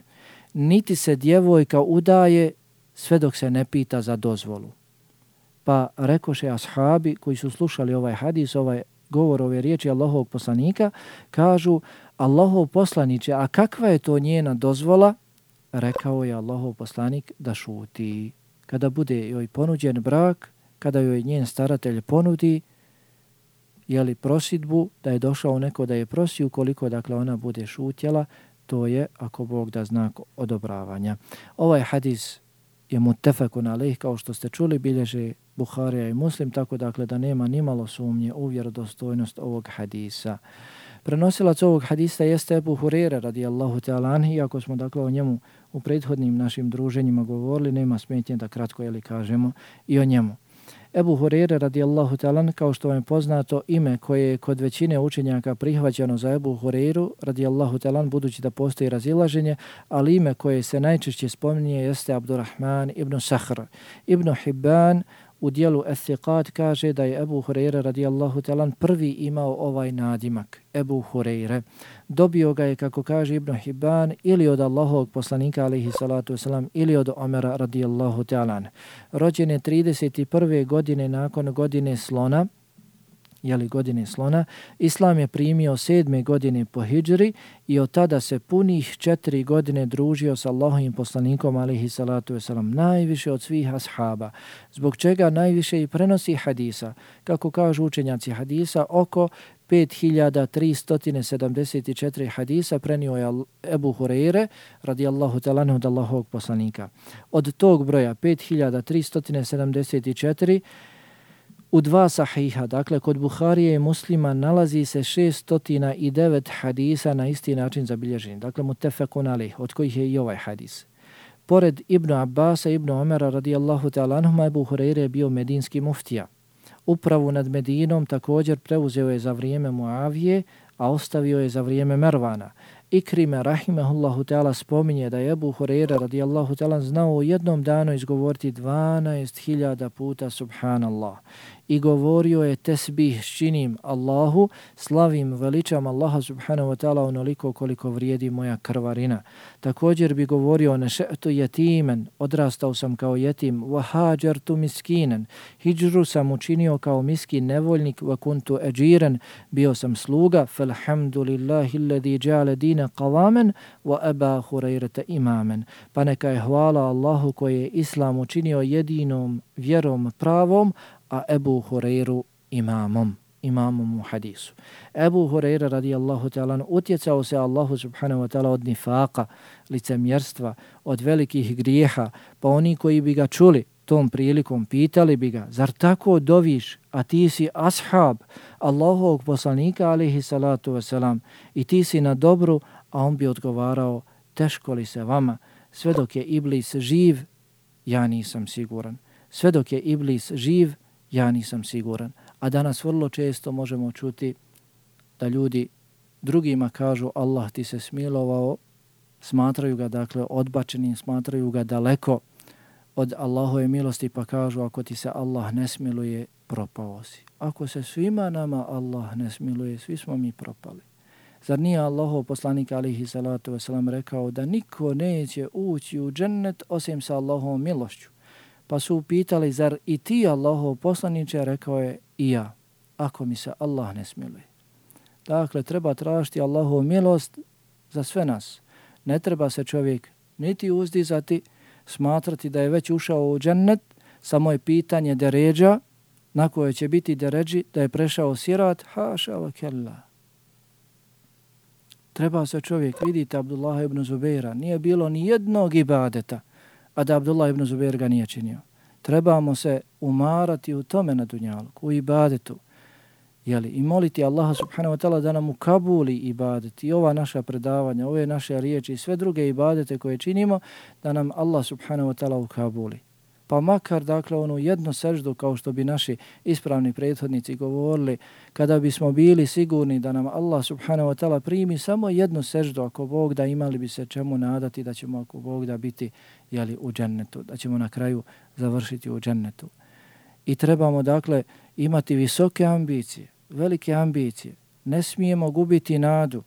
Niti se djevojka udaje sve dok se ne pita za dozvolu. Pa rekoše ashabi koji su slušali ovaj hadis, ovaj govor, ove riječi Allahovog poslanika, kažu, Allahov poslaniče, a kakva je to njena dozvola? Rekao je Allahov poslanik da šuti. Kada bude joj ponuđen brak, kada joj njen staratelj ponudi, jeli prosidbu, da je došao neko da je prosi, ukoliko dakle ona bude šutjela, to je, ako Bog da, znak odobravanja. Ovaj hadis je mutefekun alejh, kao što ste čuli, bilježe Buharija i Muslim, tako dakle da nema nimalo sumnje u vjerodostojnost ovog hadisa. Prenosilac ovog hadisa jeste Ebu Hureyre radijallahu ta'ala anhu, iako smo dakle o njemu u prethodnim našim druženjima govorili, nema smetnje da kratko jeli kažemo i o njemu. Ebu Hureyre radijallahu ta'ala, kao što vam je poznato, ime koje je kod većine učenjaka prihvaćeno za Ebu Hureyru radijallahu ta'ala, budući da postoji razilaženje, ali ime koje se najčešće spominje jeste Abdurrahman ibn Sahr. Ibn Hibban u dijelu Ethiqat kaže da je Ebu Hureyre radijallahu ta'ala prvi imao ovaj nadimak, Ebu Hureyre. Dobio ga je, kako kaže Ibn Hibban, ili od Allahovog poslanika alejhi salatu vesselam ili od Omera radijallahu ta'ala. Rođen je trideset prve godine nakon godine slona, jeli godine slona. Islam je primio sedme godine po hidžri i od tada se punih četiri godine družio s Allahovim poslanikom alejhi salatu vesselam, najviše od svih ashaba, zbog čega najviše i prenosi hadisa. Kako kažu učenjaci hadisa, oko pet hiljada tristo sedamdeset četiri hadisa prenio je Ebu Hureyre radijallahu ta'ala od Allahovog poslanika. Od tog broja pet hiljada tristo sedamdeset četiri u dva sahiha, dakle kod Buharije i Muslima, nalazi se šesnaest devet hadisa na isti način zabilježeni, dakle mutefekun alejh, od kojih je i ovaj hadis. Pored Ibn Abbasa i Ibn Omera radijallahu ta'ala anhuma, Ebu Hureyre je bio medinski muftija. Upravu nad Medinom također preuzeo je za vrijeme Muavije, a ostavio je za vrijeme Mervana. Ikrime rahimehullahu ta'ala spominje da je Ebu Hureyre radijallahu ta'ala znao u jednom danu izgovoriti dvanaest hiljada puta subhanallah. I govorio je tesbih činim Allahu, slavim, veličam Allaha subhanahu wa ta'ala onoliko koliko vrijedi moja krvarina. Također bi govorio neše'tu jetimen, odrastao sam kao jetim, wa hađartu miskinen, hijđru sam učinio kao miskin nevoljnik, wa kuntu eđiren, bio sam sluga, falhamdulillahi alladhi ja'ala dina qavamen, wa aba Hureyrata imamen. Pa neka je hvala Allahu koji je Islam učinio jedinom vjerom pravom, a Ebu Hureyru imamom, imamom u hadisu. Ebu Hureyre radijallahu ta'ala utjecao se Allahu subhanahu wa ta'ala od nifaka, licemjerstva, od velikih grijeha, pa oni koji bi ga čuli tom prilikom pitali bi ga, zar tako doviš, a ti si ashab Allahovog poslanika alejhi salatu wasalam i ti si na dobru, a on bi odgovarao, teško li se vama, sve dok je Iblis živ, ja nisam siguran. Sve dok je Iblis živ, ja nisam siguran. A danas vrlo često možemo čuti da ljudi drugima kažu Allah ti se smilovao, smatraju ga dakle odbačenim, smatraju ga daleko od Allahove milosti, pa kažu ako ti se Allah ne smiluje, propao si. Ako se svima nama Allah ne smiluje, svi smo mi propali. Zar nije Allahov poslanik alejhi salatu vesselam rekao da niko neće ući u džennet osim sa Allahovom milošću? Pa su upitali, zar i ti Allahov poslaniče? Rekao je, i ja, ako mi se Allah ne smiluje. Dakle, treba tražiti Allahovu milost za sve nas. Ne treba se čovjek niti uzdizati, smatrati da je već ušao u džennet, samo je pitanje deređa, na koje će biti deređi, da je prešao sirat, haša wa kella. Treba se čovjek, vidite Abdullah ibn Zubeira, nije bilo ni jednog ibadeta, a da Abdullah ibn Zubeir ga nije činio. Trebamo se umarati u tome na dunjalku, u ibadetu, jeli, i moliti Allaha subhanahu wa ta'ala da nam ukabuli ibadet i ova naša predavanja, ove naše riječi i sve druge ibadete koje činimo, da nam Allah subhanahu wa ta'ala ukabuli. Pa makar, dakle, onu jednu seždu, kao što bi naši ispravni prethodnici govorili, kada bismo bili sigurni da nam Allah subhanahu wa ta'ala primi samo jednu seždu, ako Bog da, imali bi se čemu nadati da ćemo, ako Bog da, biti, jeli, u džennetu, da ćemo na kraju završiti u džennetu. I trebamo, dakle, imati visoke ambicije, velike ambicije. Ne smijemo gubiti nadu,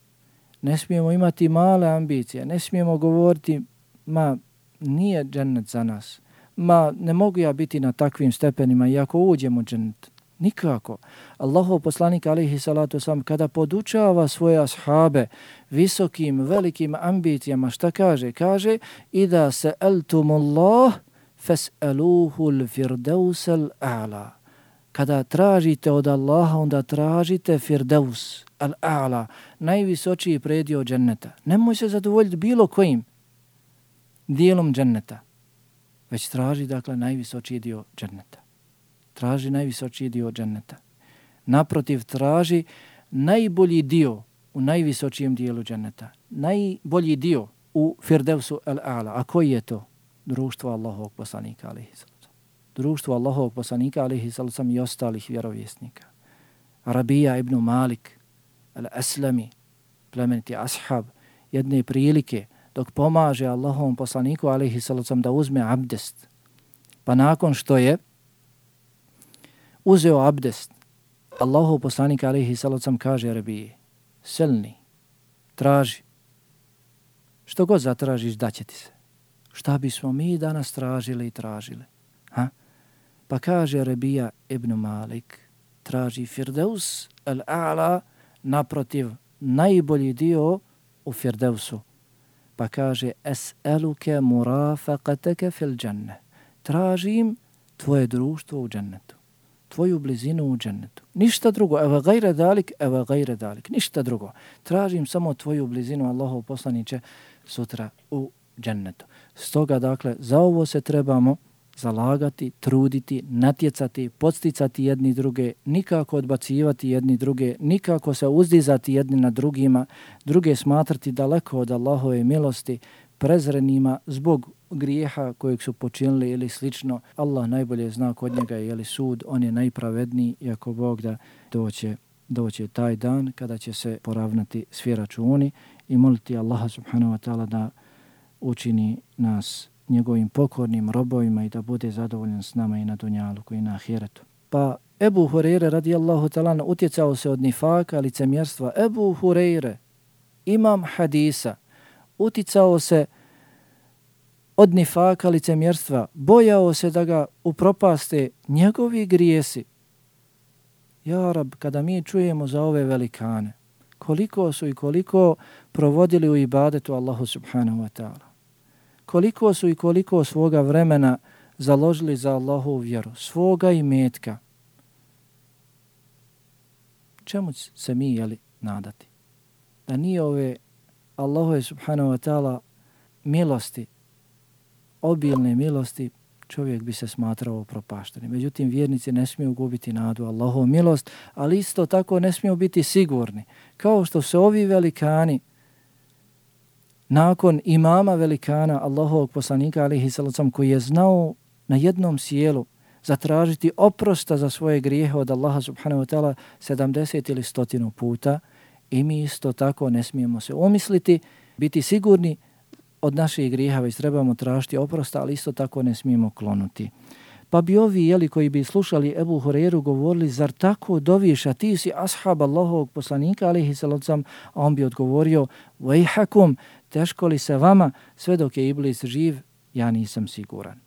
ne smijemo imati male ambicije, ne smijemo govoriti, ma, nije džennet za nas. Ma, ne mogu ja biti na takvim stepenima iako uđem u džennet. Nikako. Allahov poslanik alejhi salatu vesselam kada podučava svoje ashabe visokim, velikim ambicijama, šta kaže? Kaže, ida sa'altumullah fas'aluhul firdausal a'la. Kada tražite od Allaha, onda tražite firdaus al-a'la, najvisočiji predio dženneta. Nemoj se zadovoljiti bilo kojim dijelom dženneta, već traži, dakle, najvisočiji dio dženneta. Traži najvisočiji dio dženneta. Naprotiv, traži najbolji dio u najvisočijem dijelu dženneta. Najbolji dio u firdevsu al-a'la. A koji je to? Društvo Allahovog poslanika alejhi salatu. društvo Allahovog poslanika alejhi salatu vesselam i ostalih vjerovjesnika. Rabija ibn Malik al-Aslami, plemeniti ashab, jedne prilike dok pomaže Allahovom poslaniku alejhi salatu vesselam da uzme abdest. Pa nakon što je uzeo abdest, Allahov poslanik alejhi salatu vesselam kaže Rabiji: selni, traži. Što god zatražiš, daće ti se. Šta bismo mi danas tražili i tražili? Ha? Pa kaže Rabija ibn Malik, traži Firdeus al-A'la, naprotiv, najbolji dio u Firdeusu. Pa kaže es'eluke murafaqataka fil džanne. Tražim tvoje društvo u džennetu, tvoju blizinu u džennetu. Ništa drugo, eva gajre dalik, eva gajre dalik, ništa drugo. Tražim samo tvoju blizinu, Allahov poslaniče, sutra u džennetu. Stoga, dakle, za ovo se trebamo zalagati, truditi, natjecati, podsticati jedni druge, nikako odbacivati jedni druge, nikako se uzdizati jedni na drugima, druge smatrati daleko od Allahove milosti, prezrenima zbog grijeha kojeg su počinili ili slično. Allah najbolje zna kod njega je li sud, on je najpravedniji i ako Bog da doće, doće taj dan kada će se poravnati svi računi i moliti Allaha subhanahu wa ta'ala da učini nas njegovim pokornim robovima i da bude zadovoljan s nama i na dunjaluku i na ahiretu. Pa Ebu Hureyre radijallahu ta'ala utjecao se od nifaka, licemjerstva. Ebu Hureyre, imam hadisa, uticao se od nifaka, licemjerstva, bojao se da ga upropaste njegovi grijesi. Ja Rab, kada mi čujemo za ove velikane, koliko su i koliko provodili u ibadetu Allahu subhanahu wa ta'ala, koliko su i koliko svoga vremena založili za Allahovu vjeru, svoga imetka, čemu se mi jeli nadati? Da nije ove Allahove subhanahu wa ta'ala milosti, obilne milosti, čovjek bi se smatrao propaštenim. Međutim, vjernici ne smiju gubiti nadu Allahovu milost, ali isto tako ne smiju biti sigurni. Kao što se ovi velikani, nakon imama velikana, Allahovog poslanika alejhi salatu vesselam, koji je znao na jednom sjelu zatražiti oprosta za svoje grijehe od Allaha subhanahu wa ta'ala sedamdeset ili stotinu puta, i mi isto tako ne smijemo se umisliti, biti sigurni od naših grijeha, već trebamo tražiti oprosta, ali isto tako ne smijemo klonuti. Pa bi ovi, jeli, koji bi slušali Ebu Hureyru, govorili: zar tako doviš, a ti si ashab Allahovog poslanika alejhi salatu vesselam, a on bi odgovorio: vejhakum, teško li se vama, sve dok je Iblis živ, ja nisam siguran.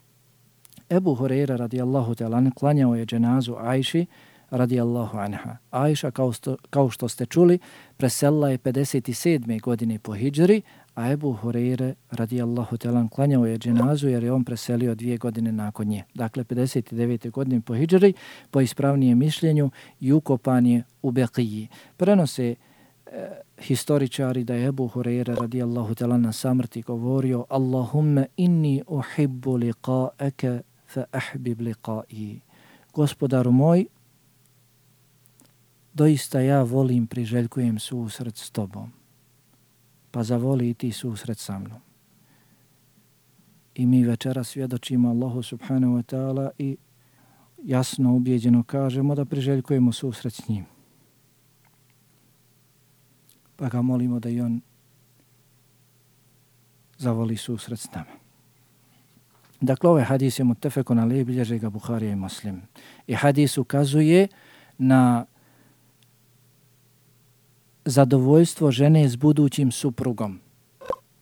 Ebu Hureyre radijallahu ta'ala klanjao je dženazu Ajši radijallahu anha. Ajša, kao, sto, kao što ste čuli, preselila je pedeset sedme godine po hidžri, a Ebu Hureyre radijallahu ta'ala klanjao je dženazu jer je on preselio dvije godine nakon nje. Dakle, pedeset devete godine po hidžri, po ispravnijem mišljenju, i ukopan je u Beqiji. Prenose e, historičari da je Ebu Hureyre radijallahu ta'ala na samrti govorio: Allahumme inni uhibbu liqa'aka fa ahbib liqa'i. Gospodaru moj, doista ja volim, priželjkujem susret s tobom, pa zavoli i ti susret sa mnom. I mi večera svjedočimo Allahu subhanahu wa ta'ala i jasno ubjeđeno kažemo da priželjkujemo susret s njim. Pa ga molimo da i on zavoli susret s nama. Dakle, ovaj hadis je mutefekun alejhi, bilježe ga Buharija i Muslim. I hadis ukazuje na zadovoljstvo žene s budućim suprugom.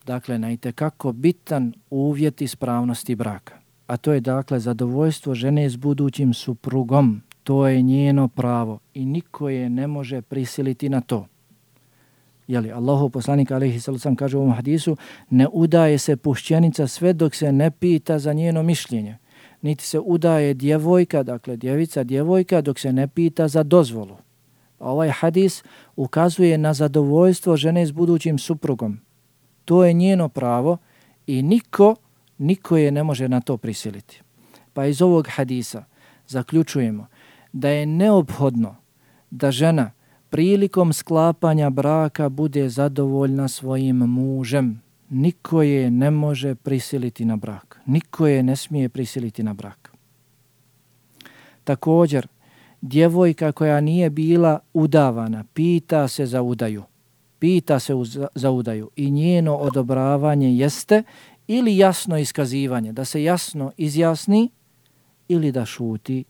Dakle, na itekako bitan uvjet ispravnosti braka. A to je, dakle, zadovoljstvo žene s budućim suprugom. To je njeno pravo i niko je ne može prisiliti na to. Jeli, Allahov poslanik alejhi salatu vesselam kaže u ovom hadisu: ne udaje se pušćenica sve dok se ne pita za njeno mišljenje. Niti se udaje djevojka, dakle djevica, djevojka, dok se ne pita za dozvolu. Ovaj hadis ukazuje na zadovoljstvo žene s budućim suprugom. To je njeno pravo i niko, niko je ne može na to prisiliti. Pa iz ovog hadisa zaključujemo da je neophodno da žena prilikom sklapanja braka bude zadovoljna svojim mužem. Niko je ne može prisiliti na brak. Niko je ne smije prisiliti na brak. Također, djevojka koja nije bila udavana, pita se za udaju. Pita se za udaju i njeno odobravanje jeste ili jasno iskazivanje, da se jasno izjasni ili da šuti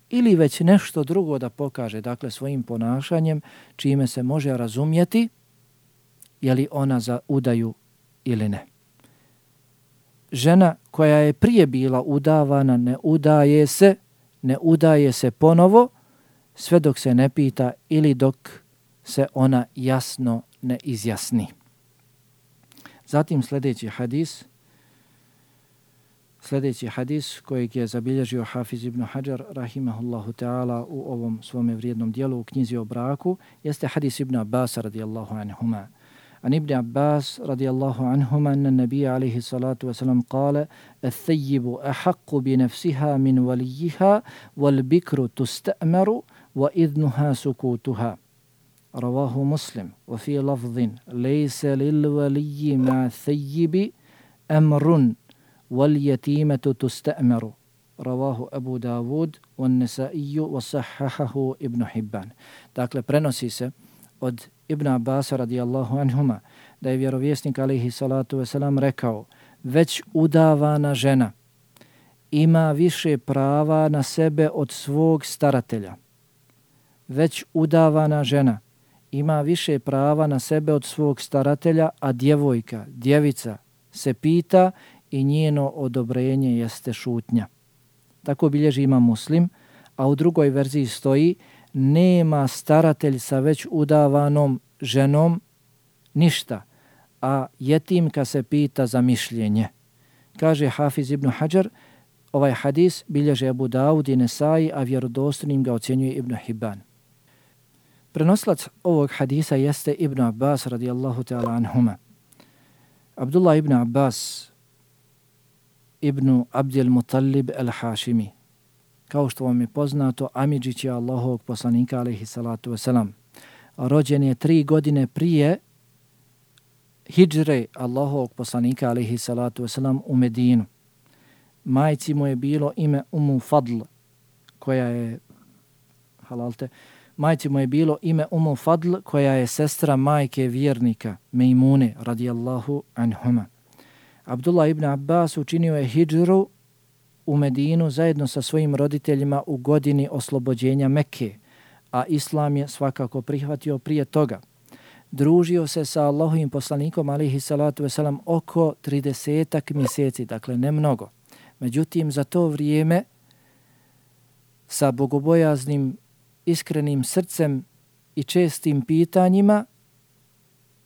ili već nešto drugo da pokaže, dakle svojim ponašanjem, čime se može razumjeti je li ona za udaju ili ne. Žena koja je prije bila udavana ne udaje se, ne udaje se ponovo sve dok se ne pita ili dok se ona jasno ne izjasni. Zatim sljedeći hadis, sljedeći hadis kojeg je zabilježio Hafiz ibn Hajar rahimahullahu ta'ala u ovom svome vrijednom dijelu u knjizi o braku, jeste hadis ibn Abbas radijallahu anhuma. An ibn Abbas radijallahu anhuma anna nabija alaihi salatu wasalam kale الثيب أحق بنفسها من وليها والبكر تستأمر وإذنها سكوتها رواه مسلم وفي لفظ ليس للولي مع الثيب أمر واليتيمة تستأمر رواه أبو داود والنسائي وصححه ابن حبان. Dakle, prenosi se od Ibn Abbas radijallahu anhuma da je vjerovjesnik alaihi salatu wasalam rekao: već udavana žena ima više prava na sebe od svog staratelja. Već udavana žena ima više prava na sebe od svog staratelja, a djevojka, djevica se pita i njeno odobrenje jeste šutnja. Tako bilježi Imam Muslim, a u drugoj verziji stoji: nema staratelj sa već udavanom ženom ništa, a jetimka se pita za mišljenje. Kaže Hafiz ibn Hajar, ovaj hadis bilježe Abu Dawud i Nesai, a vjerodostojnim ga ocjenjuje Ibn Hibban. Prenosilac ovog hadisa jeste Ibn Abbas radijallahu ta'ala anhuma. Abdullah ibn Abbas ibn Abdil Muttalib al-Hašimi. Kao što vam je poznato, amidžić je Allahovog poslanika alaihi salatu wasalam. Rođen je tri godine prije hidžre Allahovog poslanika alaihi salatu wasalam u Medinu. Majci mu je bilo ime Umu Fadl, koja je halalte, majci mu je bilo ime Umu Fadl, koja je sestra majke vjernika Mejmune radijallahu anhuma. Abdullah ibn Abbas učinio je hidžru u Medinu zajedno sa svojim roditeljima u godini oslobođenja Mekke, a Islam je svakako prihvatio prije toga. Družio se sa Allahovim poslanikom alejhi salatu vesselam oko tridesetak mjeseci, dakle ne mnogo. Međutim, za to vrijeme sa bogobojaznim, iskrenim srcem i čestim pitanjima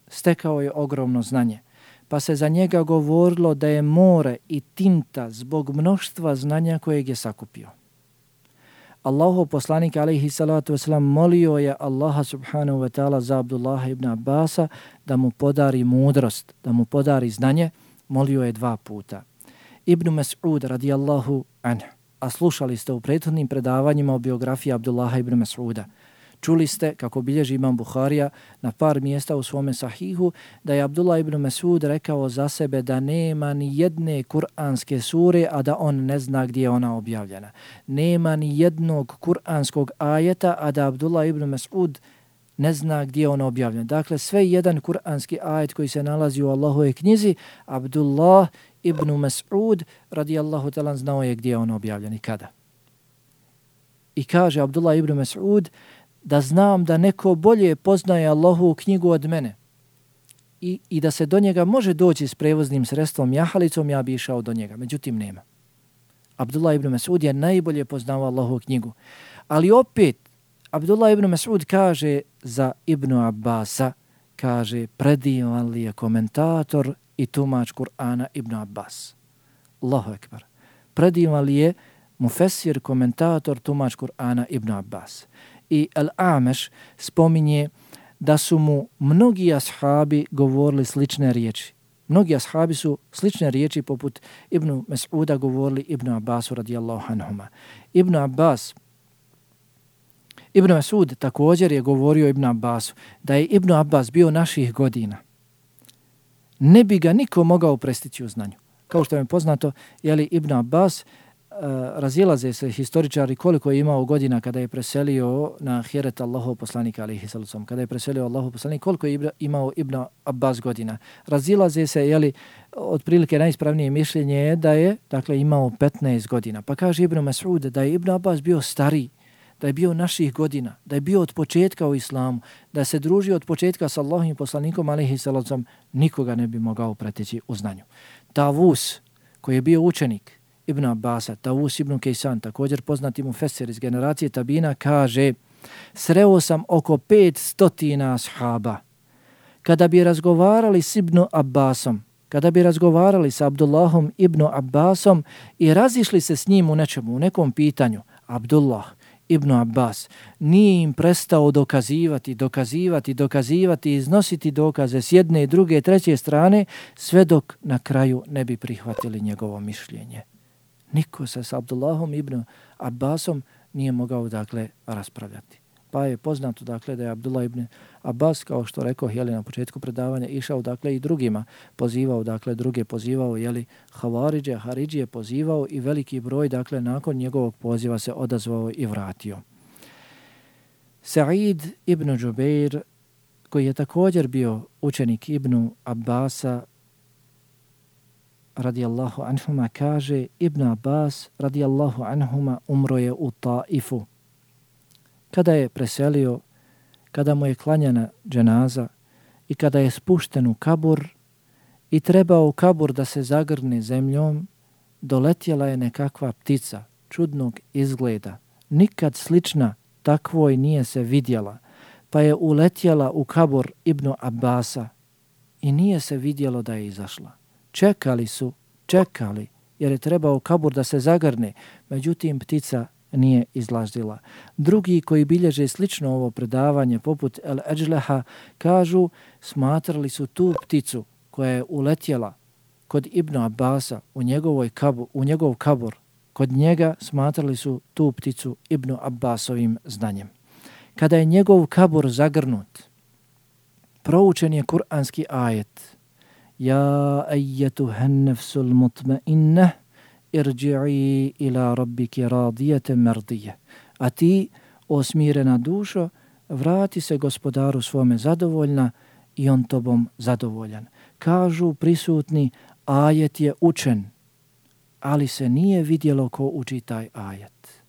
stekao je ogromno znanje. Pa se za njega govorilo da je more i tinta zbog mnoštva znanja kojeg je sakupio. Allahov poslanik alejhi salatu vesselam molio je Allaha subhanahu wa ta'ala za Abdullaha ibn Abbasa da mu podari mudrost, da mu podari znanje, molio je dva puta. Ibn Mas'ud radijallahu anhu, a slušali ste u prethodnim predavanjima o biografiji Abdullaha ibn Mas'uda. Čuli ste, kako bilježi Imam Buharija na par mjesta u svome sahihu, da je Abdullah ibn Mas'ud rekao za sebe da nema ni jedne kuranske sure, a da on ne zna gdje je ona objavljena. Nema ni jednog kuranskog ajeta, a da Abdullah ibn Mas'ud ne zna gdje je on objavljen. Dakle, sve jedan kuranski ajet koji se nalazi u Allahovoj knjizi, Abdullah ibn Mas'ud radijallahu ta'ala znao je gdje je on objavljen i kada. I kaže Abdullah ibn Mas'ud da znam da neko bolje poznaje Allahovu knjigu od mene I, i da se do njega može doći s prevoznim sredstvom jahalicom, ja bi išao do njega. Međutim, nema. Abdullah ibn Mas'ud je najbolje poznao Allahovu knjigu. Ali opet, Abdullah ibn Mas'ud kaže za Ibn Abbasa, kaže, predivan li je komentator i tumač Kur'ana Ibn Abbas. Allahu ekber. Predivan li je mufesir, komentator, tumač Kur'ana Ibn Abbas. I Al-Ameš spominje da su mu mnogi ashabi govorili slične riječi. Mnogi ashabi su slične riječi poput Ibn Mas'uda govorili Ibn Abbasu radijallahu anhuma. Ibn Abbas, Ibn Mas'ud također je govorio Ibn Abbasu da je Ibn Abbas bio naših godina. Ne bi ga niko mogao prestići u znanju. Kao što je poznato, je li Ibn Abbas razilaze se historičari koliko je imao godina kada je preselio na ahiret Allahov poslanika alejhi salatu, kada je preselio Allahov poslanik, koliko je imao Ibn Abbas godina. Razilaze se, jeli, otprilike najispravnije mišljenje je da je, dakle, imao petnaest godina. Pa kaže Ibn Mas'ud da je Ibn Abbas bio stariji, da je bio naših godina, da je bio od početka u islamu, da se družio od početka sa Allahovim poslanikom alejhi salatu, nikoga ne bi mogao preteći u znanju. Tavus, koji je bio učenik Ibn Abbasa, Tavus ibn Kejsan, također poznati mufesir iz generacije Tabina, kaže: sreo sam oko pet stotina ashaba. Kada bi razgovarali s Ibn Abbasom, kada bi razgovarali sa Abdullahom ibn Abbasom i razišli se s njim u nečemu, u nekom pitanju, Abdullah ibn Abbas nije im prestao dokazivati, dokazivati, dokazivati, iznositi dokaze s jedne, druge, treće strane, sve dok na kraju ne bi prihvatili njegovo mišljenje. Niko se s Abdullahom ibn Abbasom nije mogao, dakle, raspravljati. Pa je poznato, dakle, da je Abdullah ibn Abbas, kao što rekao, jeli, na početku predavanja, išao, dakle, i drugima pozivao, dakle, druge pozivao, jeli, Havaridže, Haridžije pozivao i veliki broj, dakle, nakon njegovog poziva se odazvao i vratio. Sa'id ibn Džubeir, koji je također bio učenik Ibn Abbasa, radijallahu anhuma, kaže: Ibn Abbas, radijallahu anhuma, umro je u Taifu. Kada je preselio, kada mu je klanjana dženaza i kada je spušten u kabur i trebao u kabur da se zagrne zemljom, doletjela je nekakva ptica čudnog izgleda. Nikad slična takvoj nije se vidjela, pa je uletjela u kabur Ibn Abbasa i nije se vidjelo da je izašla. Čekali su, čekali, jer je trebao kabur da se zagrne, međutim ptica nije izlazila. Drugi koji bilježe slično ovo predavanje, poput El Eđleha, kažu smatrali su tu pticu koja je uletjela kod Ibn Abbasa u, njegovoj kabur, u njegov kabur, kod njega smatrali su tu pticu Ibn Abbasovim znanjem. Kada je njegov kabur zagrnut, proučen je kuranski ajet: Ja ejjetuhan nefsul mutmainneh, irđi'i ila rabbiki radijete merdije. A ti, o smirena dušo, vrati se gospodaru svome zadovoljna i on tobom zadovoljan. Kažu prisutni, ajet je učen, ali se nije vidjelo ko uči taj ajet.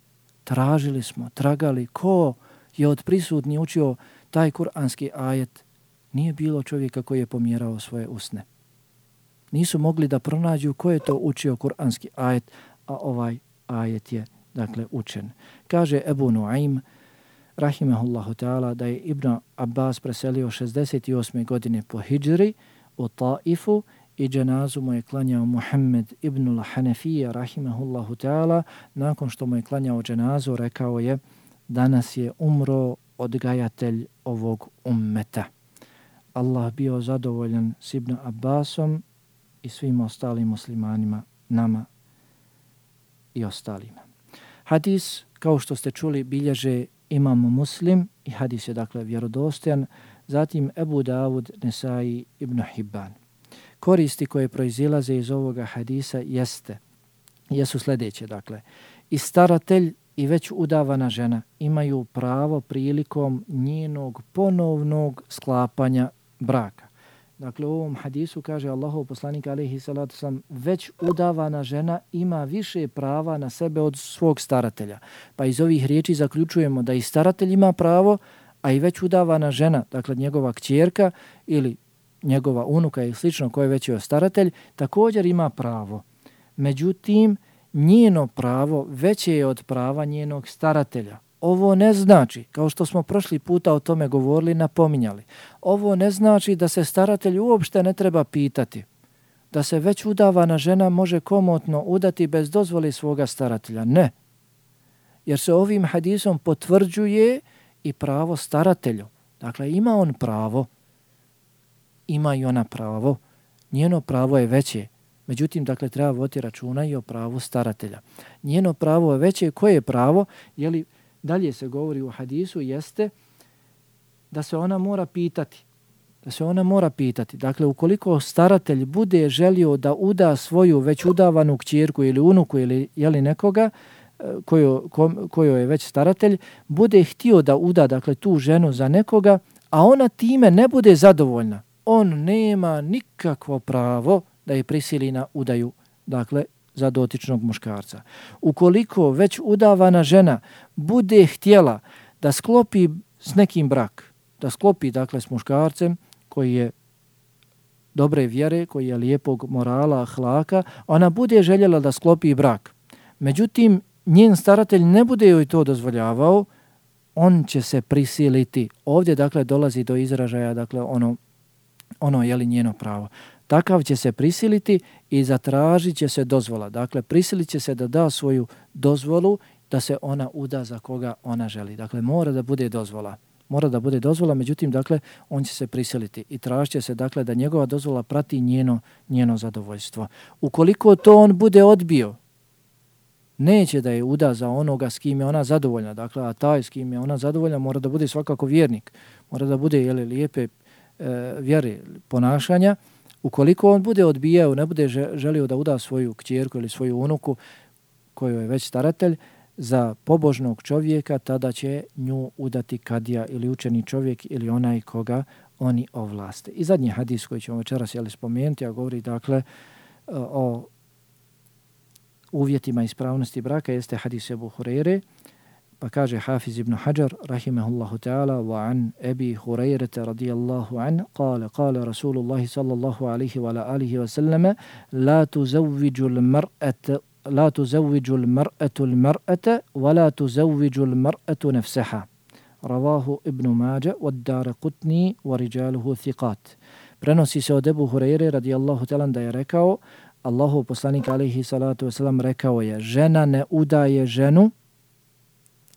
Tražili smo, tragali, ko je od prisutni učio taj kuranski ajet. Nije bilo čovjeka koji je pomjerao svoje usne. Nisu mogli da pronađu ko je to učio kuranski ajet, a ovaj ajet je, dakle, učen. Kaže Ebu Nuaym, rahimehullahu ta'ala, da je Ibn Abbas preselio šezdeset osme godine po hidžri u Taifu i dženazu mu je klanjao Muhammed ibn al-Hanefija, rahimehullahu ta'ala. Nakon što mu je klanjao dženazu, rekao je: danas je umro odgajatelj ovog ummeta. Allah bio zadovoljan s Ibn Abbasom i svim ostalim muslimanima, nama i ostalima. Hadis, kao što ste čuli, bilježe Imam Muslim i hadis je, dakle, vjerodostojan, zatim Ebu Davud, Nesai, Ibn Hibban. Koristi koje proizilaze iz ovoga hadisa jeste, jesu sljedeće, dakle, i staratelj i već udavana žena imaju pravo prilikom njenog ponovnog sklapanja braka. Dakle, u ovom hadisu kaže Allahov poslanik alejhi salatu vesselam, već udavana žena ima više prava na sebe od svog staratelja. Pa iz ovih riječi zaključujemo da i staratelj ima pravo, a i već udavana žena, dakle njegova kćerka ili njegova unuka i slično koje već je staratelj, također ima pravo. Međutim, njeno pravo veće je od prava njenog staratelja. Ovo ne znači, kao što smo prošli puta o tome govorili, napominjali, ovo ne znači da se staratelj uopšte ne treba pitati, da se već udavana žena može komotno udati bez dozvole svoga staratelja. Ne. Jer se ovim hadisom potvrđuje i pravo staratelju. Dakle, ima on pravo, ima i ona pravo, njeno pravo je veće. Međutim, dakle, treba voditi računa i o pravu staratelja. Njeno pravo je veće. Koje je pravo? Je li dalje se govori u hadisu, jeste da se ona mora pitati da se ona mora pitati. Dakle, ukoliko staratelj bude želio da uda svoju već udavanu kćerku ili unuku ili jeli nekoga, koju, ko, koju je već staratelj, bude htio da uda dakle, tu ženu za nekoga, a ona time ne bude zadovoljna, on nema nikakvo pravo da je prisili na udaju, dakle, za dotičnog muškarca. Ukoliko već udavana žena bude htjela da sklopi s nekim brak, da sklopi, dakle, s muškarcem koji je dobre vjere, koji je lijepog morala, ahlaka, ona bude željela da sklopi brak. Međutim, njen staratelj ne bude joj to dozvoljavao, on će se prisiliti. Ovdje, dakle, dolazi do izražaja, dakle, ono, ono je li njeno pravo. Takav će se prisiliti i zatražit će se dozvola. Dakle, prisilit će se da da svoju dozvolu da se ona uda za koga ona želi. Dakle, mora da bude dozvola. Mora da bude dozvola, međutim, dakle, on će se prisiliti i tražit će se, dakle, da njegova dozvola prati njeno, njeno zadovoljstvo. Ukoliko to on bude odbio, neće da je uda za onoga s kim je ona zadovoljna. Dakle, a taj s kim je ona zadovoljna mora da bude svakako vjernik. Mora da bude, jeli, lijepe e, vjere, ponašanja. Ukoliko on bude odbijao, ne bude želio da uda svoju kćerku ili svoju unuku koju je već staratelj za pobožnog čovjeka, tada će nju udati kadija ili učeni čovjek ili onaj koga oni ovlaste. I zadnji hadis koji ćemo večeras jeli spomenuti, a govori dakle o uvjetima ispravnosti braka, jeste hadis Ebu Hureyre, pa kaže Hafiz ibn Hajar rahimahullahu ta'ala wa an Ebi Hureyre radijallahu an kale, kale Rasulullahi sallallahu alihi wa alihi wa sallama la tuzavviđu l-mar'ata la tuzavviđu l-mar'atu l-mar'ata wa la tuzavviđu l-mar'atu nafsaha. Ravahu Ibn Mađa wa Daraqutni wa rijaluhu thiqat. Prenosi se od Ebu Hureyre radijallahu ta'ala da je rekao, Allahu poslanik alejhi salatu vesselam rekao je, žena ne udaje ženu,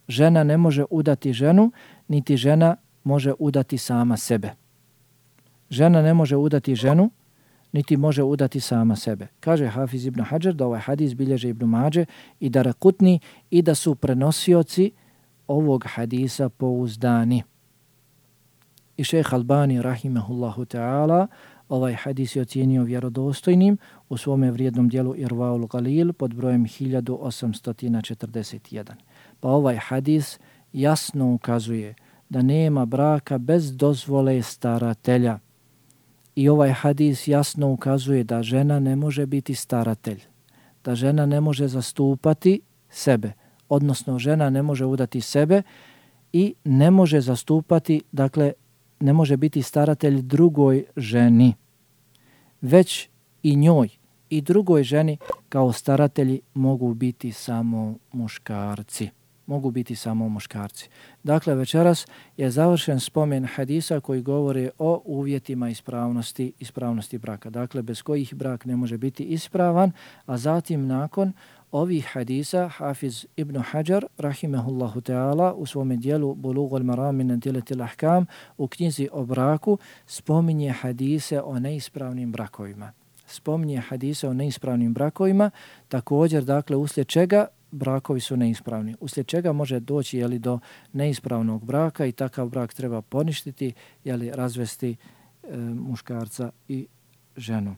žena ne može udati ženu, niti žena može udati sama sebe. Žena ne može udati ženu, niti može udati sama sebe. Kaže Hafiz ibn Hajar da ovaj hadis bilježe Ibn Mađe i Daraqutni i da su prenosioci ovog hadisa pouzdani. I šejh Albani rahimahullahu ta'ala ovaj hadis je ocijenio vjerodostojnim u svome vrijednom dijelu Irvaul Galil pod brojem hiljadu osamsto četrdeset jedan. Pa ovaj hadis jasno ukazuje da nema braka bez dozvole staratelja. I ovaj hadis jasno ukazuje da žena ne može biti staratelj, da žena ne može zastupati sebe, odnosno žena ne može udati sebe i ne može zastupati, dakle, ne može biti staratelj drugoj ženi, već i njoj i drugoj ženi kao staratelji mogu biti samo muškarci. Mogu biti samo muškarci. Dakle, večeras je završen spomen hadisa koji govori o uvjetima ispravnosti, ispravnosti braka. Dakle, bez kojih brak ne može biti ispravan, a zatim nakon ovih hadisa Hafiz ibn Hajar rahimahullahu ta'ala u svome dijelu Bulughul Maram min adillatil ahkam u knjizi o braku spominje hadise o neispravnim brakovima. Spominje hadise o neispravnim brakovima, također, dakle, uslijed čega brakovi su neispravni. Uslijed čega može doći jeli, do neispravnog braka i takav brak treba poništiti, jeli, razvesti e, muškarca i ženu.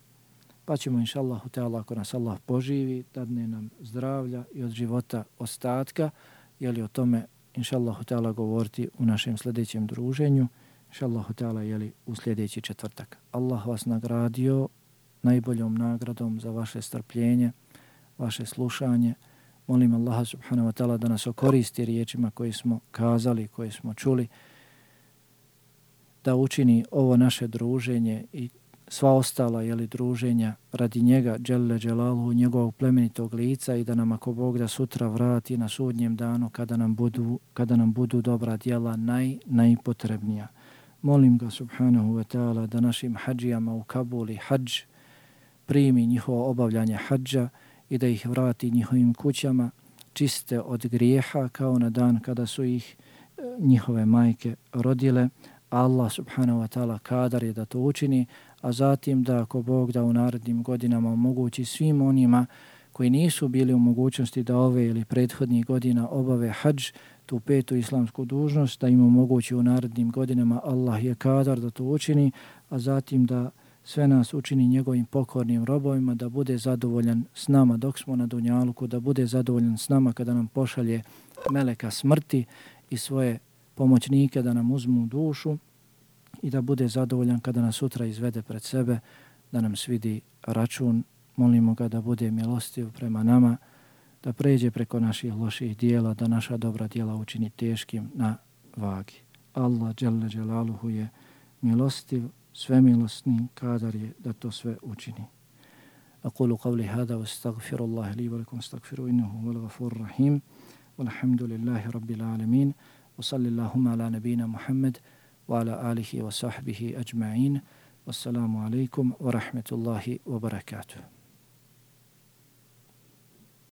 Pa ćemo, inša Allahu ta'ala, ako nas Allah poživi, dadne nam zdravlja i od života ostatka, jeli o tome, inša Allahu ta'ala, govoriti u našem sljedećem druženju, inša Allahu ta'ala, jeli u sljedeći četvrtak. Allah vas nagradio najboljom nagradom za vaše strpljenje, vaše slušanje. Molim Allaha subhanahu wa ta'ala da nas okoristi riječima koje smo kazali, koje smo čuli, da učini ovo naše druženje i sva ostala jeli, druženja radi njega, dželle dželaluhu, njegovog plemenitog lica i da nam ako Bog da sutra vrati na sudnjem danu kada nam budu, kada nam budu dobra djela naj, najpotrebnija. Molim ga subhanahu wa ta'ala da našim hađijama u Kabuli hađ primi njihovo obavljanje hađa i da ih vrati njihovim kućama čiste od grijeha kao na dan kada su ih njihove majke rodile. Allah subhanahu wa ta'ala kadar je da to učini, a zatim da ako Bog da u narednim godinama omogući svim onima koji nisu bili u mogućnosti da ove ili prethodnih godina obave hadž, tu petu islamsku dužnost, da im omogući u narednim godinama. Allah je kadar da to učini, a zatim da sve nas učini njegovim pokornim robovima, da bude zadovoljan s nama dok smo na dunjaluku, da bude zadovoljan s nama kada nam pošalje meleka smrti i svoje pomoćnike da nam uzmu dušu i da bude zadovoljan kada nas sutra izvede pred sebe, da nam svidi račun. Molimo ga da bude milostiv prema nama, da pređe preko naših loših dijela, da naša dobra dijela učini teškim na vagi. Allah dželle dželaluhu je milostiv, svemilosni, kadar je da to sve učini. Aqulu qavli hada wa astaghfirullaha li wa lakum astaghfiru innahu huwal ghafurur rahim. Walhamdulillahi rabbil alamin. Wa sallallahu ala nabina Muhammad wa ala alihi wa sahbihi ajma'in. Wassalamu alaikum wa rahmetullahi wa barakatuh.